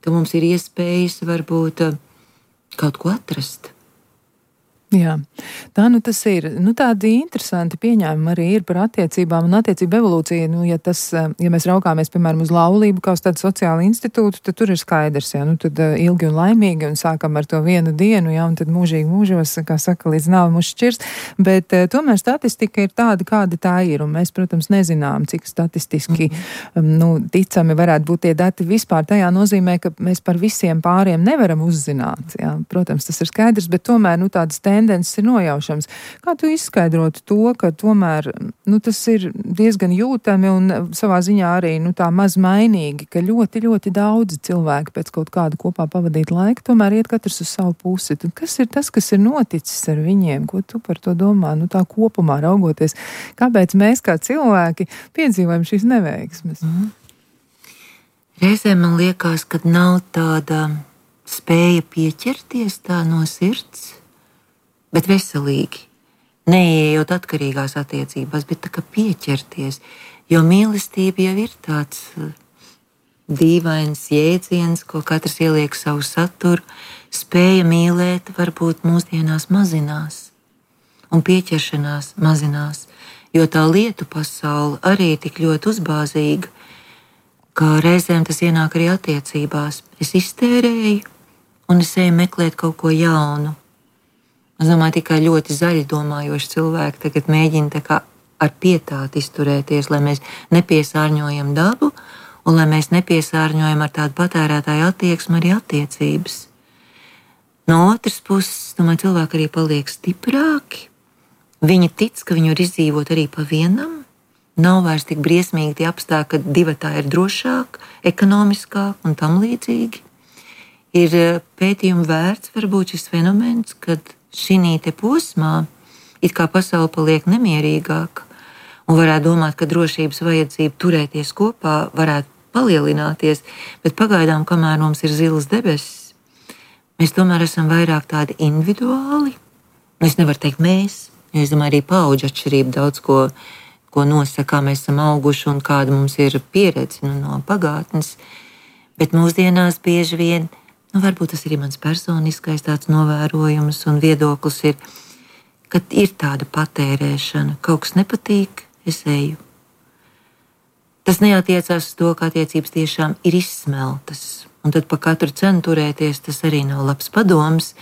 ka mums ir iespējas varbūt kaut ko atrast. Jā, tā nu tas ir. Nu, tādi interesanti pieņēmumi arī ir par attiecībām un attiecību evolūciju. Nu, ja mēs raugāmies, piemēram, uz laulību kā uz tādu sociālu institūtu, tad tur ir skaidrs, jā, nu, tad ilgi un laimīgi un sākam ar to vienu dienu, jā, un tad mūžīgi mūžos, kā saka, līdz nāvi mūs šķirs. Bet tomēr statistika ir tāda, kāda tā ir, un mēs, protams, nezinām, cik statistiski ticami varētu būt tie dati vispār. Tajā nozīmē, ka mēs par visiem pāriem nevaram uzzināt. Jā. Protams, tas ir skaidrs, bet tomēr tādas tendences ir nojaušams. Kā tu izskaidrotu to, ka tomēr tas ir diezgan jūtami un savā ziņā arī tā maz mainīgi, ka ļoti, ļoti daudzi cilvēki pēc kaut kāda kopā pavadīt laiku tomēr iet katrs uz savu pusi. Tad kas ir tas, kas ir noticis ar viņiem? Ko tu par to domā? Tā kopumā raugoties, kāpēc mēs kā cilvēki piedzīvojam šīs neveiksmes? Reizēm man liekas, ka nav tāda spēja pieķerties tā no sirds, bet veselīgi, neieejot atkarīgās attiecībās, bet tā kā pieķerties, jo mīlestība jau ir tāds dīvains jēdziens, ko katrs ieliek savu saturu, spēja mīlēt varbūt mūsdienās mazinās, un pieķeršanās mazinās, jo tā lietu pasaule arī ir tik ļoti uzbāzīga, ka reizēm tas ienāk arī attiecībās. Es iztērēju, un es eju meklēt kaut ko jaunu. Es domāju, tikai ļoti zaļi domājoši cilvēki tagad mēģina tā kā ar pietāti izturēties, lai mēs nepiesārņojam dabu un lai mēs nepiesārņojam ar tādu patērētāju attieksmi arī attiecības. No otras puses, domāju, cilvēki arī paliek stiprāki. Viņi tic, ka viņi var izdzīvot arī pa vienam. Nav vairs tik briesmīgi tie apstākļi, ka divatā ir drošāk, ekonomiskāk un tam līdzīgi. Ir pētījumi vērts varbūt šis fenomens, kad šī te posmā it kā pasaule paliek nemierīgāka un varētu domāt, ka drošības vajadzība turēties kopā varētu palielināties, bet pagaidām, kamēr mums ir zilas debesis, mēs tomēr esam vairāk tādi individuāli. Es nevaru teikt mēs, jo es domāju, arī paudžu atšķirība daudz ko nosaka, kā mēs esam auguši un kāda mums ir pieredze no pagātnes, bet mūsdienās bieži vien varbūt tas ir mans personiskais tāds novērojums un viedoklis ir, ka ir tāda patērēšana. Kaut kas nepatīk, es eju. Tas neatiecās uz to, ka attiecības tiešām ir izsmeltas. un tad pa katru cenu turēties, tas arī nav labs padoms,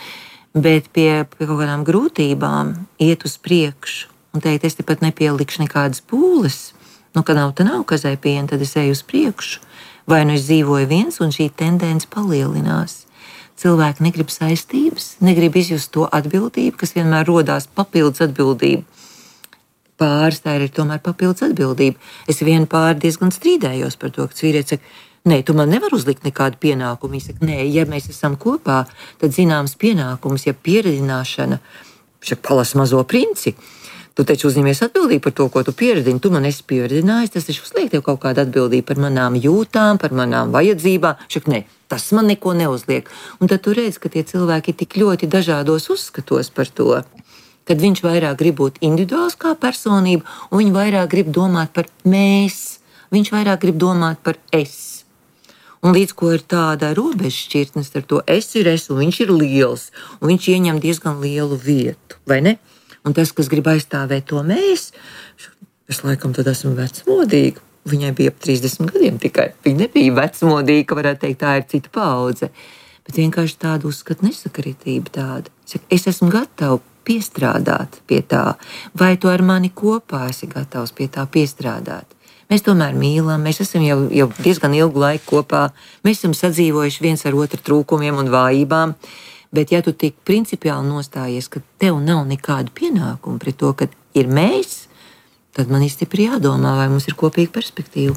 bet pie kaut kādām grūtībām iet uz priekšu un teikt, es te pat nepielikšu nekādas pūles, ka nav, kazai piena, tad es eju uz priekšu, vai es dzīvoju viens un šī tendence palielinās. Cilvēki negrib saistības, negrib izjust to atbildību, kas vienmēr rodās papildus atbildību. Pāris tā ir tomēr papildus atbildība. Es vienu pāri diezgan strīdējos par to, ka vīrietis saka, nē, tu man nevar uzlikt nekādu pienākumu. Viņš saka, nē, ja mēs esam kopā, tad zināms pienākums, ja pieredzināšana, palas mazo princi. Tu taču uzņemies atbildību par to, ko tu pieredzini. Tu man esi pieredzinājis, tas taču uzliek tev kaut kādu atbildību par manām jūtām, par manām vajadzībām. Šak, nē, tas man neko neuzliek. Un tad tu redz, ka tie cilvēki ir tik ļoti dažādos uzskatos par to, kad viņš vairāk grib būt individuāls kā personība, un viņš vairāk grib domāt par mēs, viņš vairāk grib domāt par es. Un līdz ko ir tāda robežšķirtnes ar to es ir es, un viņš ir liels, un viņš ieņem diezgan lielu vietu, vai ne? Un tas, kas grib aizstāvēt to mēs, es laikam tad esmu vecmodīga. Viņai bija ap 30 gadiem tikai. Viņa nebija vecmodīga, ka varētu teikt, tā ir cita paudze. Bet vienkārši tāda uzskata nesakritība tāda. Es esmu gatava piestrādāt pie tā, vai tu ar mani kopā esi gatavs pie tā piestrādāt. Mēs tomēr mīlam, mēs esam jau diezgan ilgu laiku kopā, mēs esam sadzīvojuši viens ar otru trūkumiem un vājībām. Bet, ja tu tik principiāli nostājies, ka tev nav nekādu pienākumu pret to, ka ir mēs, tad man ir stipri jādomā, vai mums ir kopīga perspektīva.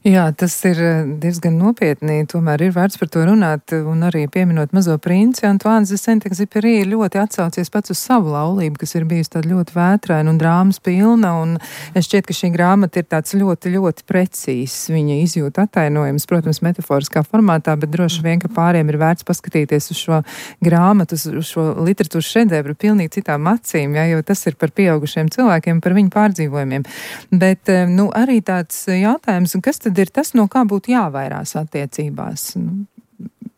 Jā, tas ir diezgan nopietni, tomēr ir vērts par to runāt, un arī pieminot mazo princi, Antoine de Saint-Exupéry ļoti atsaucies pats uz savu laulību, kas ir bijusi tāda ļoti vētraina un drāmas pilna, un es šķiet, ka šī grāmata ir tāds ļoti, ļoti precīzs, viņa izjūta attainojums, protams, metaforiskā formātā, bet droši vien, ka pāriem ir vērts paskatīties uz šo grāmatu, uz šo literatūras šedevru pilnīgi citām acīm, ja, jo tas ir par pieaugušiem cilvēkiem, par viņu pārdzīvojumiem. Bet, arī tāds jautājums, kas tad ir tas, no kā būtu jāvairās attiecībās?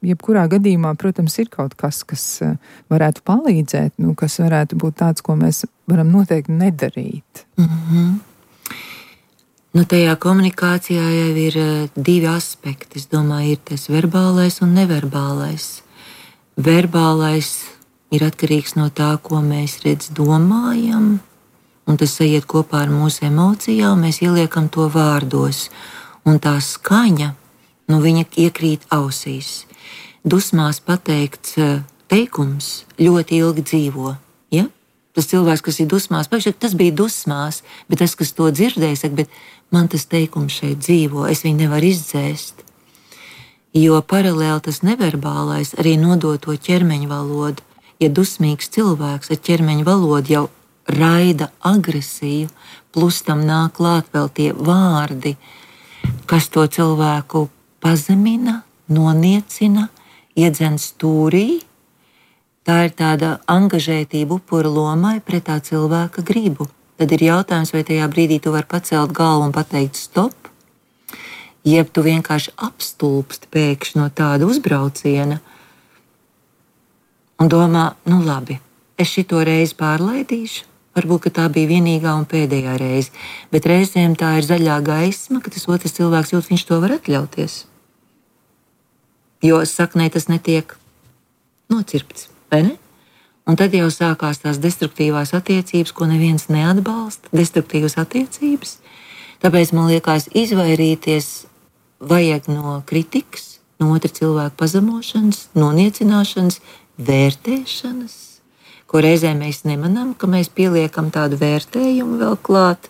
Jebkurā gadījumā, protams, ir kaut kas, kas varētu palīdzēt, kas varētu būt tāds, ko mēs varam noteikti nedarīt. Tajā komunikācijā jau ir divi aspekti. Es domāju, ir tas verbālais un neverbālais. Verbālais ir atkarīgs no tā, ko mēs domājam, un tas aiziet kopā ar mūsu emocijām, mēs ieliekam to vārdos. Un tā skaņa, viņa iekrīt ausīs. Dusmās pateikts teikums ļoti ilgi dzīvo. Ja? Tas cilvēks, kas ir dusmās, tas bija dusmās, bet tas, kas to dzirdēja, saka, bet man tas teikums šeit dzīvo, es viņu nevaru izdzēst. Jo paralēli tas neverbālais arī nodod to ķermeņa valodu. Ja dusmīgs cilvēks ar ķermeņa valodu jau raida agresiju, plus tam nāk klāt vēl tie vārdi, kas to cilvēku pazemina, noniecina, iedzen stūrī. Tā ir tāda angažētība upura lomai pret tā cilvēka gribu. Tad ir jautājums, vai tajā brīdī tu vari pacelt galvu un pateikt stop, jeb tu vienkārši apstulbsti pēkšņi no tāda uzbrauciena un domā, labi, es šito reizi pārlaidīšu. Varbūt, ka tā bija vienīgā un pēdējā reize, bet reizēm tā ir zaļā gaisma, ka tas otrs cilvēks jūt, viņš to var atļauties. Jo saknē tas netiek nocirpts, vai ne? Un tad jau sākās tās destruktīvās attiecības, ko neviens neatbalsta, destruktīvas attiecības. Tāpēc man liekas, izvairīties vajag no kritikas, no otra cilvēka pazemošanas, noniecināšanas, vērtēšanas, ko reizē mēs nemanām, ka mēs pieliekam tādu vērtējumu vēl klāt,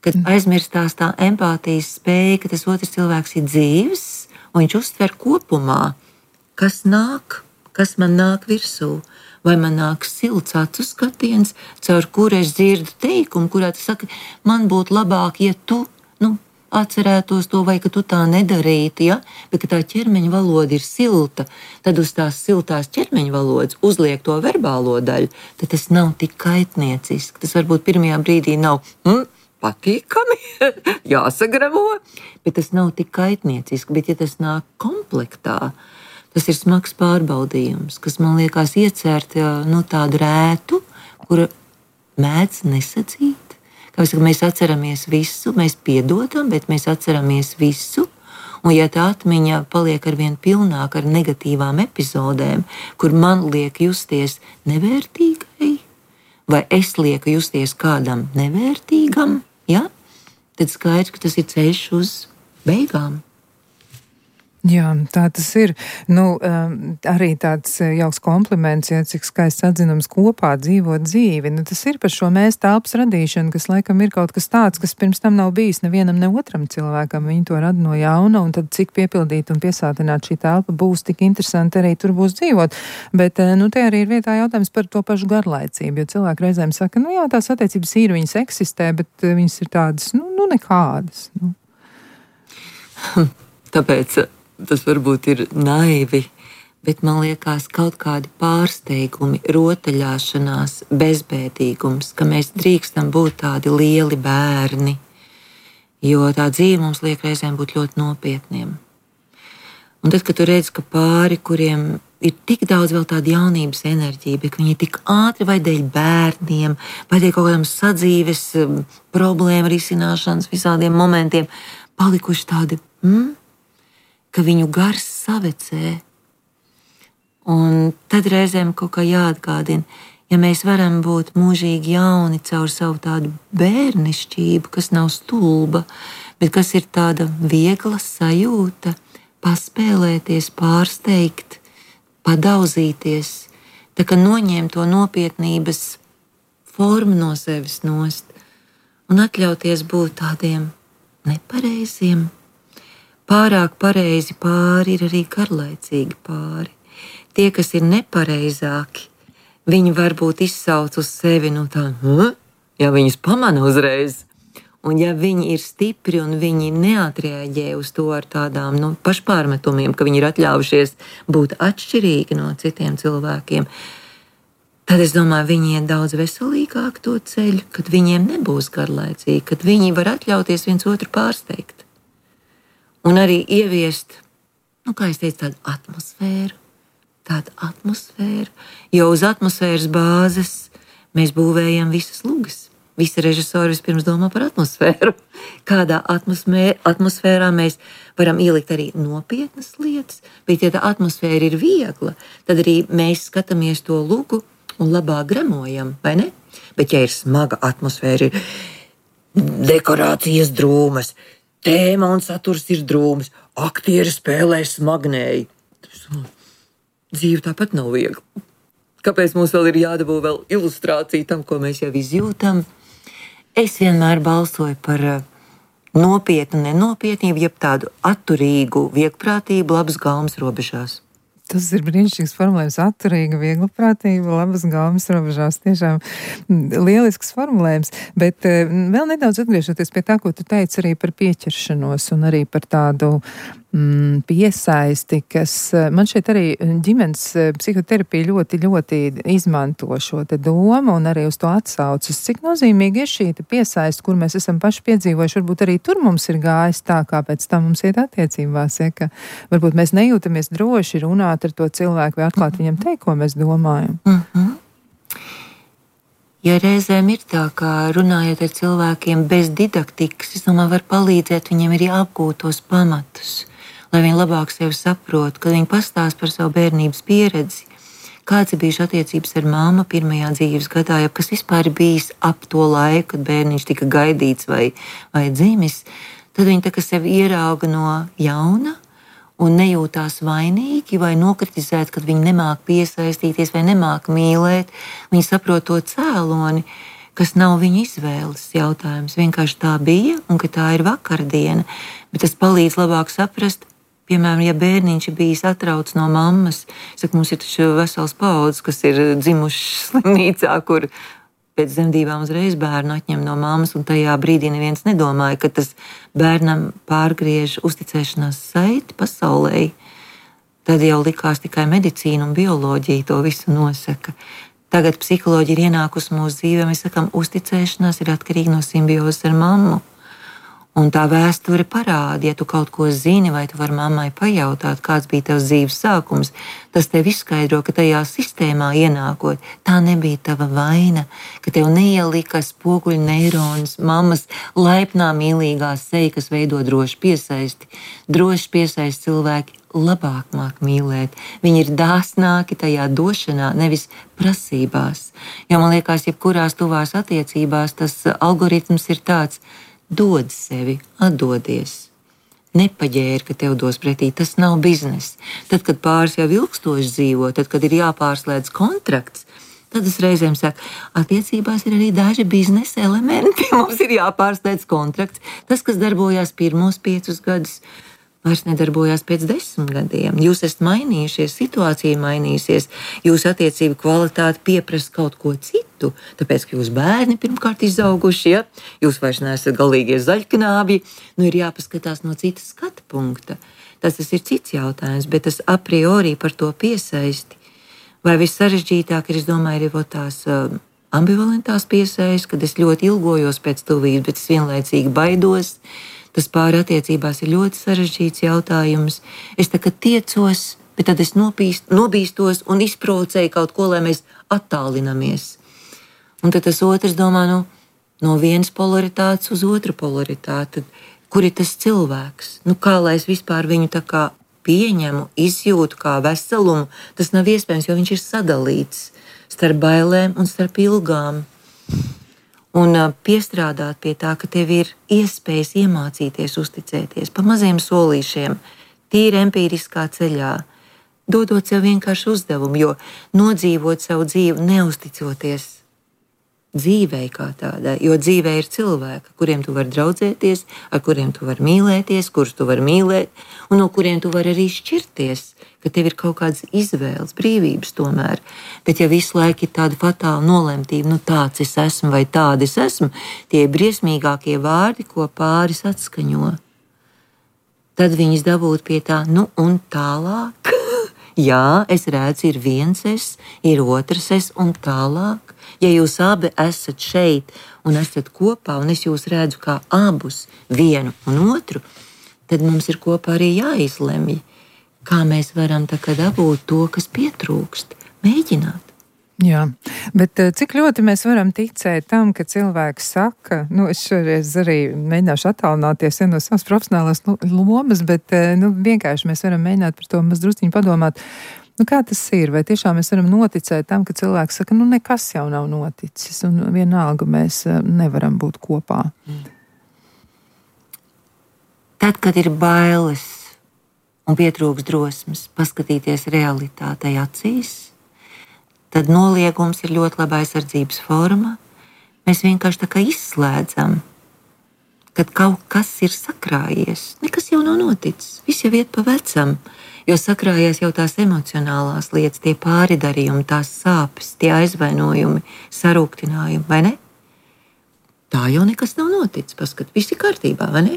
kad aizmirstās tā empātijas spēja, ka tas otrs cilvēks ir dzīves, un viņš uztver kopumā, kas nāk, kas man nāk virsū, vai man nāk silts acu skatiens, caur kuru es dzirdu teikumu, kurā tu saki, man būtu labāk, ja tu, atcerētos to, vai ka tu tā nedarītu, ja? Bet ka tā ķermeņa valoda ir silta, tad uz tās siltās ķermeņa valodas uzliek to verbālo daļu, tad tas nav tik kaitnieciski. Tas varbūt pirmajā brīdī nav patīkami, jāsagramo, bet tas nav tik kaitnieciski. Bet ja tas nāk komplektā, tas ir smags pārbaudījums, kas man liekas iecērt tādu rētu, kura mēdz nesadzīt. Mēs atceramies visu, mēs piedodam, bet mēs atceramies visu, Un ja tā atmiņa paliek arvien pilnāka ar negatīvām epizodēm, kur man liek justies nevērtīgai, vai es lieku justies kādam nevērtīgam, ja? Tad skaidrs, ka tas ir ceļš uz beigām. Jā, tā tas ir. Arī tāds jauks kompliments, ja cik skaists atzinums kopā dzīvot dzīvi. Tas ir par šo mēs telpas radīšanu, kas laikam ir kaut kas tāds, kas pirms tam nav bijis nevienam, ne otram cilvēkam. Viņi to rada no jauna, un tad cik piepildīt un piesātināt šī telpa būs tik interesanti arī tur būs dzīvot. Bet, te arī ir vietā jautājums par to pašu garlaicību, jo cilvēki reizēm saka, jā, tās attiecības ir, viņas eksistē, bet viņas ir tādas, nekādas. Tāpēc tas varbūt ir naivi, bet man liekas kaut kādi pārsteigumi, rotaļāšanās, bezbēdīgums, ka mēs drīkstam būt tādi lieli bērni, jo tā dzīve mums liek reizēm būt ļoti nopietniem. Un tad, kad tu redz, ka pāri, kuriem ir tik daudz vēl tāda jaunības enerģija, bet viņi ir tik ātri vai dēļ bērniem, vai dēļ kaut kādām sadzīves problēmu risināšanas visādiem momentiem, palikuši tādi, ka viņu gars savecē. Un tad reizēm kaut kā jāatgādina, ja mēs varam būt mūžīgi jauni caur savu tādu bērnišķību, kas nav stulba, bet kas ir tāda viegla sajūta, paspēlēties, pārsteigt, padauzīties, tā kā noņemt to nopietnības formu no sevis nost un atļauties būt tādiem nepareiziem. Pārāk pareizi pāri ir arī garlaicīgi pāri. Tie, kas ir nepareizāki, viņi varbūt izsauc uz sevi ja viņus pamana uzreiz. Un ja viņi ir stipri un viņi neatreaģē uz to ar tādām pašpārmetumiem, ka viņi ir atļaujušies būt atšķirīgi no citiem cilvēkiem, tad es domāju, viņi iet daudz veselīgāk to ceļu, kad viņiem nebūs garlaicīgi, kad viņi var atļauties viens otru pārsteigt. Un arī ieviest, kā es teicu, tādu atmosfēru, jo uz atmosfēras bāzes mēs būvējam visas lugas. Visi režisori vispirms domā par atmosfēru. Kādā atmosfērā mēs varam ielikt arī nopietnas lietas, bet ja tā atmosfēra ir viegla, tad arī mēs skatāmies to lugu un labāk gremojam, vai ne? Bet ja ir smaga atmosfēra, ir dekorācijas drūmas, tēma un saturs ir drūms, aktieri spēlē smagnēji. Dzīve tāpat nav viegla. Kāpēc mums vēl ir jādabū vēl ilustrācija tam, ko mēs jau izjūtam? Es vienmēr balsoju par nopietnu nenopietnību, jeb tādu atturīgu viegprātību labas gaumas robežās. Tas ir brīnišķīgs formulējums, atturīga, vieglprātība, labas gaumas robežās. Tiešām lielisks formulējums, bet vēl nedaudz atgriežoties pie tā, ko tu teici arī par pieķeršanos un arī par tādu piesaisti, kas man šeit arī ģimenes psihoterapija ļoti, ļoti izmanto šo te domu un arī uz to atsaucas. Cik nozīmīgi ir šī piesaisti, kur mēs esam paši piedzīvojuši, varbūt arī tur mums ir gājis tā, kā pēc tam mums iet attiecībās, ja, ka varbūt mēs nejūtamies droši runāt ar to cilvēku vai atklāt viņam teikt, ko mēs domājam. Ja reizēm ir tā, kā runājot ar cilvēkiem bez didaktikas, es domāju, var palīdzēt viņiem arī apgūt tos pamatus, lai viņi labāk sevi saprot, kad viņi pastāst par savu bērnības pieredzi, kāds ir bijuši attiecības ar mammu pirmajā dzīves gadā, ja kas vispār ir bijis ap to laiku, kad bērniņš tika gaidīts vai dzimis, tad viņi tā kā sevi ierauga no jauna un nejūtās vainīgi vai nokritizēt, kad viņi nemāk piesaistīties vai nemāk mīlēt. Viņi saprot to cēloni, kas nav viņu izvēles jautājums. Vienkārši tā bija un ka tā ir vakardiena. Bet tas palīdz labāk saprast, piemēram, ja bērniņš ir bijis atrauts no mammas, mums ir taču vesels paudzes, kas ir dzimuši slimnīcā, kur pēc dzemdībām uzreiz bērnu atņem no mammas, un tajā brīdī neviens nedomāja, ka tas bērnam pārgriež uzticēšanās saiti pasaulē. Tad jau likās tikai medicīna un bioloģija to visu nosaka. Tagad psiholoģija ir ienākusi mūsu dzīvē, mēs sakām, uzticēšanās ir atkarīga no simbiozes ar mammu. Un tā vēsture parāda, ja tu kaut ko zini, vai tu vari mammai pajautāt, kāds bija tavs dzīves sākums, tas tev izskaidro, ka tajā sistēmā ienākot, tā nebija tava vaina, ka tev neielika spoguļu neironus, mammas laipnā mīlīgā seja, kas veido droši piesaisti. Droši piesaisti cilvēki labāk māk mīlēt. Viņi ir dāsnāki tajā došanā, nevis prasībās. Jo man liekas, jebkurās tuvās attiecībās tas algoritms ir tāds: dod sevi, atdodies. Nepaģēri, ka tev dos pretī, tas nav bizness. Tad, kad pāris jau ilgstoši dzīvo, tad, kad ir jāpārslēdz kontrakts, tad es reizēm saku, attiecībās ir arī daži biznesa elementi. Mums ir jāpārslēdz kontrakts. Tas, kas darbojās pirmos 5 gadus, vairs nedarbojās pēc 10 gadiem. Jūs esat mainījušies, situācija mainīsies, jūsu attiecību kvalitāte pieprasa kaut ko citu, tāpēc, ka jūs bērni pirmkārt izauguši, ja? Jūs vairs neesat galīgie zaļknābji, ir jāpaskatās no citas skatu punkta. Tas ir cits jautājums, bet tas a priori par to piesaisti. Vai vissarežģītāk ir, es domāju, ir tās ambivalentās piesaisti, kad es ļoti ilgojos pēc tuvības, bet es vienlaicīgi baidos. Tas pāri attiecībās ir ļoti sarežģīts jautājums. Es tā kā tiecos, bet tad es nobīstos un izprovocēju kaut ko, lai mēs attālinamies. Un tad tas otrs domā, no vienas polaritātes uz otru polaritāti. Kur ir tas cilvēks? Kā lai es vispār viņu tā kā pieņemu, izjūtu kā veselumu? Tas nav iespējams, jo viņš ir sadalīts starp bailēm un starp ilgām. Un piestrādāt pie tā, ka tev ir iespējas iemācīties uzticēties pa maziem solīšiem, tīri empīriskā ceļā, dodot sev vienkārši uzdevumu, jo nodzīvot savu dzīvi neusticoties dzīvei kā tādai, jo dzīvē ir cilvēki, kuriem tu vari draudzēties, ar kuriem tu vari mīlēties, kurus tu vari mīlēt, un no kuriem tu vari arī šķirties, ka tev ir kaut kādas izvēles, brīvības tomēr. Bet ja visu laiku ir tāda fatāla nolemtība, tāds es esmu vai tāda es esmu, tie ir briesmīgākie vārdi, ko pāris atskaņo. Tad viņas dabūt pie tā, un tālāk. Jā, es redzu, ir viens es, ir otrs es un tālāk. Ja jūs abi esat šeit un esat kopā, un es jūs redzu kā abus, vienu un otru, tad mums ir kopā arī jāizlemj, kā mēs varam dabūt to, kas pietrūkst. Mēģināt. Jā, bet cik ļoti mēs varam ticēt tam, ka cilvēks saka, es šoreiz arī mēģināšu attālināties no savas profesionālās lomas, bet vienkārši mēs varam mēģināt par to mazdrusciņu padomāt. Kā tas ir? Vai tiešām mēs varam noticēt tam, ka cilvēks saka, nekas jau nav noticis, un vienalga mēs nevaram būt kopā? Tad, kad ir bailes un pietrūks drosmes paskatīties realitātei acīs, tad noliegums ir ļoti laba aizsardzības forma. Mēs vienkārši tā kā izslēdzam, kad kaut kas ir sakrājies. Nekas jau nav noticis, viss jau iet pa vecam. Jo sakrājies jau tās emocionālās lietas, tie pāridarījumi, tās sāpes, tie aizvainojumi, sarūktinājumi, vai ne? Tā jau nekas nav noticis, paskat, viss ir kārtībā, vai ne?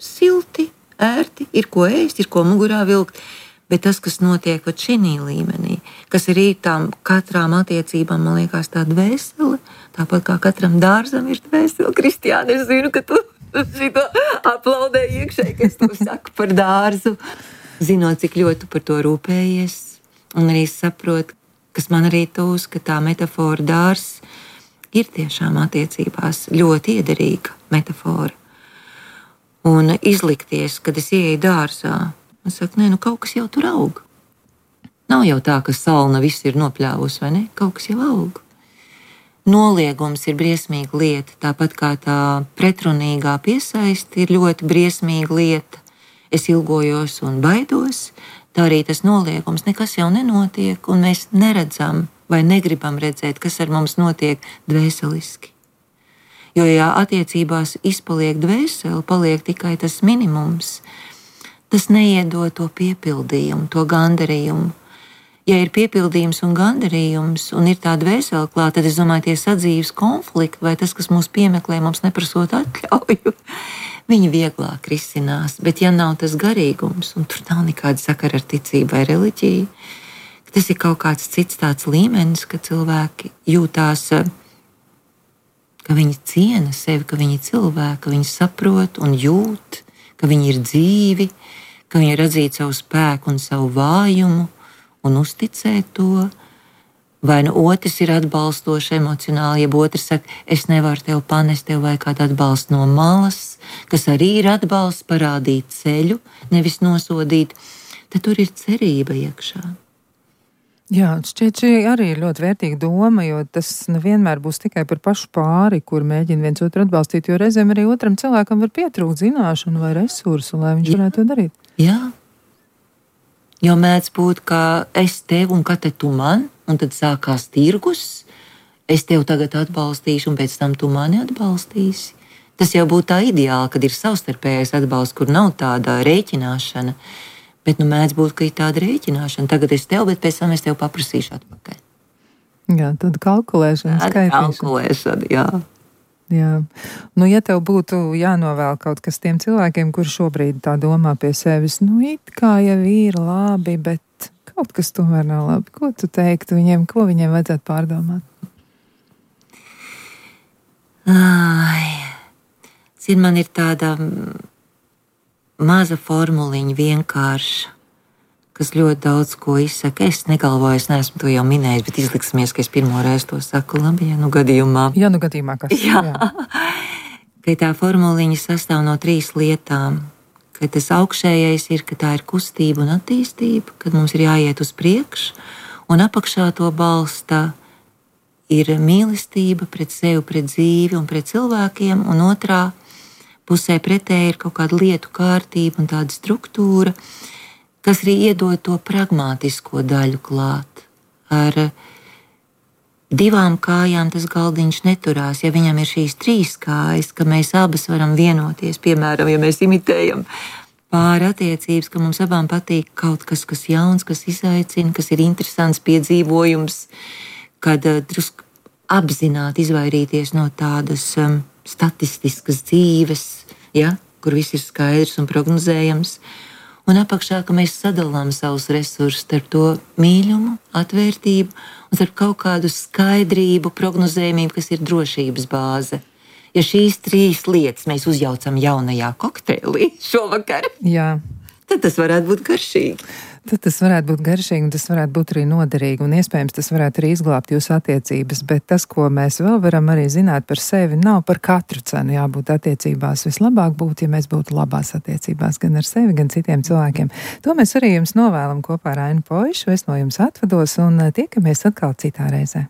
Silti, ērti, ir ko ēst, ir ko mugurā vilkt, bet tas, kas notiek šinī līmenī, kas ir tām katrām attiecībām, man liekas, tā dvēsele, tāpat kā katram dārzam ir dvēsele. Kristiāne, es zinu, ka tu šito aplaudē iekšēji, ka es to saku par dārzu. Zinot, cik ļoti par to rūpējies, un arī saprotu, kas man arī tūs, ka tā metafora dārs ir tiešām attiecībās ļoti iederīga metafora. Un izlikties, kad es ieeju dārzā, es saku, kaut kas jau tur aug. Nav jau tā, ka salna viss ir nopļāvusi, vai ne? Kaut kas jau aug. Noliegums ir briesmīga lieta, tāpat kā tā pretrunīgā piesaisti ir ļoti briesmīga lieta. Es ilgojos un baidos, tā arī tas noliegums, nekas jau nenotiek, un mēs neredzam vai negribam redzēt, kas ar mums notiek dvēseliski. Jo, ja attiecībās izpaliek dvēseli, paliek tikai tas minimums, tas neiedod to piepildījumu, to gandarījumu. Ja ir piepildījums un gandarījums, un ir tā dvēsele klāta, tad es domāju, tie sadzīves konflikti vai tas, kas mūs piemeklē, mums neprasot atļauju, viņi vieglāk risinās. Bet ja nav tas garīgums, un tur nav nekāda sakara ar ticību vai reliģiju, tas ir kaut kāds cits tāds līmenis, ka cilvēki jūtās ka viņi ciena sevi, ka viņi ir cilvēki, ka viņi saprot un jūt, ka viņi ir dzīvi, ka viņi ir atzīt savu spēku un savu vājumu un uzticēt to. Vai nu otrs ir atbalstošs emocionāli, ja otrs saka, es nevaru tev panest, tev vajag kādu atbalstu no malas, kas arī ir atbalsts, parādīt ceļu, nevis nosodīt, tad tur ir cerība iekšā. Jā, šķiet, šī arī ir ļoti vērtīga doma, jo tas nevienmēr būs tikai par pašu pāri, kur mēģina viens otru atbalstīt, jo reizēm arī otram cilvēkam var pietrūkt zināšanu vai resursu, lai viņš varētu to darīt. Jā, jo mēdz būt, ka es tev un ka te tu man, un tad sākās tirgus, es tev tagad atbalstīšu, un pēc tam tu mani atbalstīsi. Tas jau būtu tā ideāli, kad ir savstarpējais atbalsts, kur nav tāda rēķināšana. Bet mēdz būt, ka ir tāda rēķināšana. Tagad es tev, bet pēc tam es tev paprasīšu atpakaļ. Jā, tad kalkulēšana, skaitīšana. Kalkulēšana, jā. Jā. Nu, ja tev būtu jānovēl kaut kas tiem cilvēkiem, kur šobrīd tā domā pie sevis, it kā jau ir labi, bet kaut kas tomēr nav labi. Ko tu teiktu viņiem, ko viņiem vajadzētu pārdomāt? Man ir tāda maza formuliņa vienkārša, kas ļoti daudz ko izsaka. Es negalvoju, es neesmu to jau minējis, bet izliksimies, ka es pirmo reizi to saku. Labi, ja nu gadījumā. Ja nu gadījumā kas? Jā. Ka tā formuliņa sastāv no 3 lietām. Ka tas augšējais ir, ka tā ir kustība un attīstība, kad mums ir jāiet uz priekšu, un apakšā to balsta ir mīlestība pret sevi, pret dzīvi un pret cilvēkiem, un otrā pusē pretēji ir kaut kāda lietu kārtība un tāda struktūra, kas arī iedod to pragmātisko daļu klāt. Ar 2 kājām tas galdiņš neturās. Ja viņam ir šīs 3 kājas, ka mēs abas varam vienoties, piemēram, ja mēs imitējam pāri attiecības, ka mums abām patīk kaut kas, kas jauns, kas izaicina, kas ir interesants piedzīvojums, kad drusku apzināti izvairīties no tādas statistiskas dzīves, ja, kur viss ir skaidrs un prognozējams, un apakšā, ka mēs sadalām savus resursus starp to mīļumu, atvērtību un starp kaut kādu skaidrību, prognozējumību, kas ir drošības bāze. Ja šīs 3 lietas mēs uzjaucam jaunajā kokteilī šovakar, jā, tad tas varētu būt garšīgi. Tad tas varētu būt garšīgi, un tas varētu būt arī noderīgi, un iespējams tas varētu arī izglābt jūsu attiecības, bet tas, ko mēs vēl varam arī zināt par sevi, nav par katru cenu jābūt attiecībās. Vislabāk būtu, ja mēs būtu labās attiecībās gan ar sevi, gan citiem cilvēkiem. To mēs arī jums novēlam kopā ar Ainu Poišu, es no jums atvados, un tiekamies atkal citā reizē.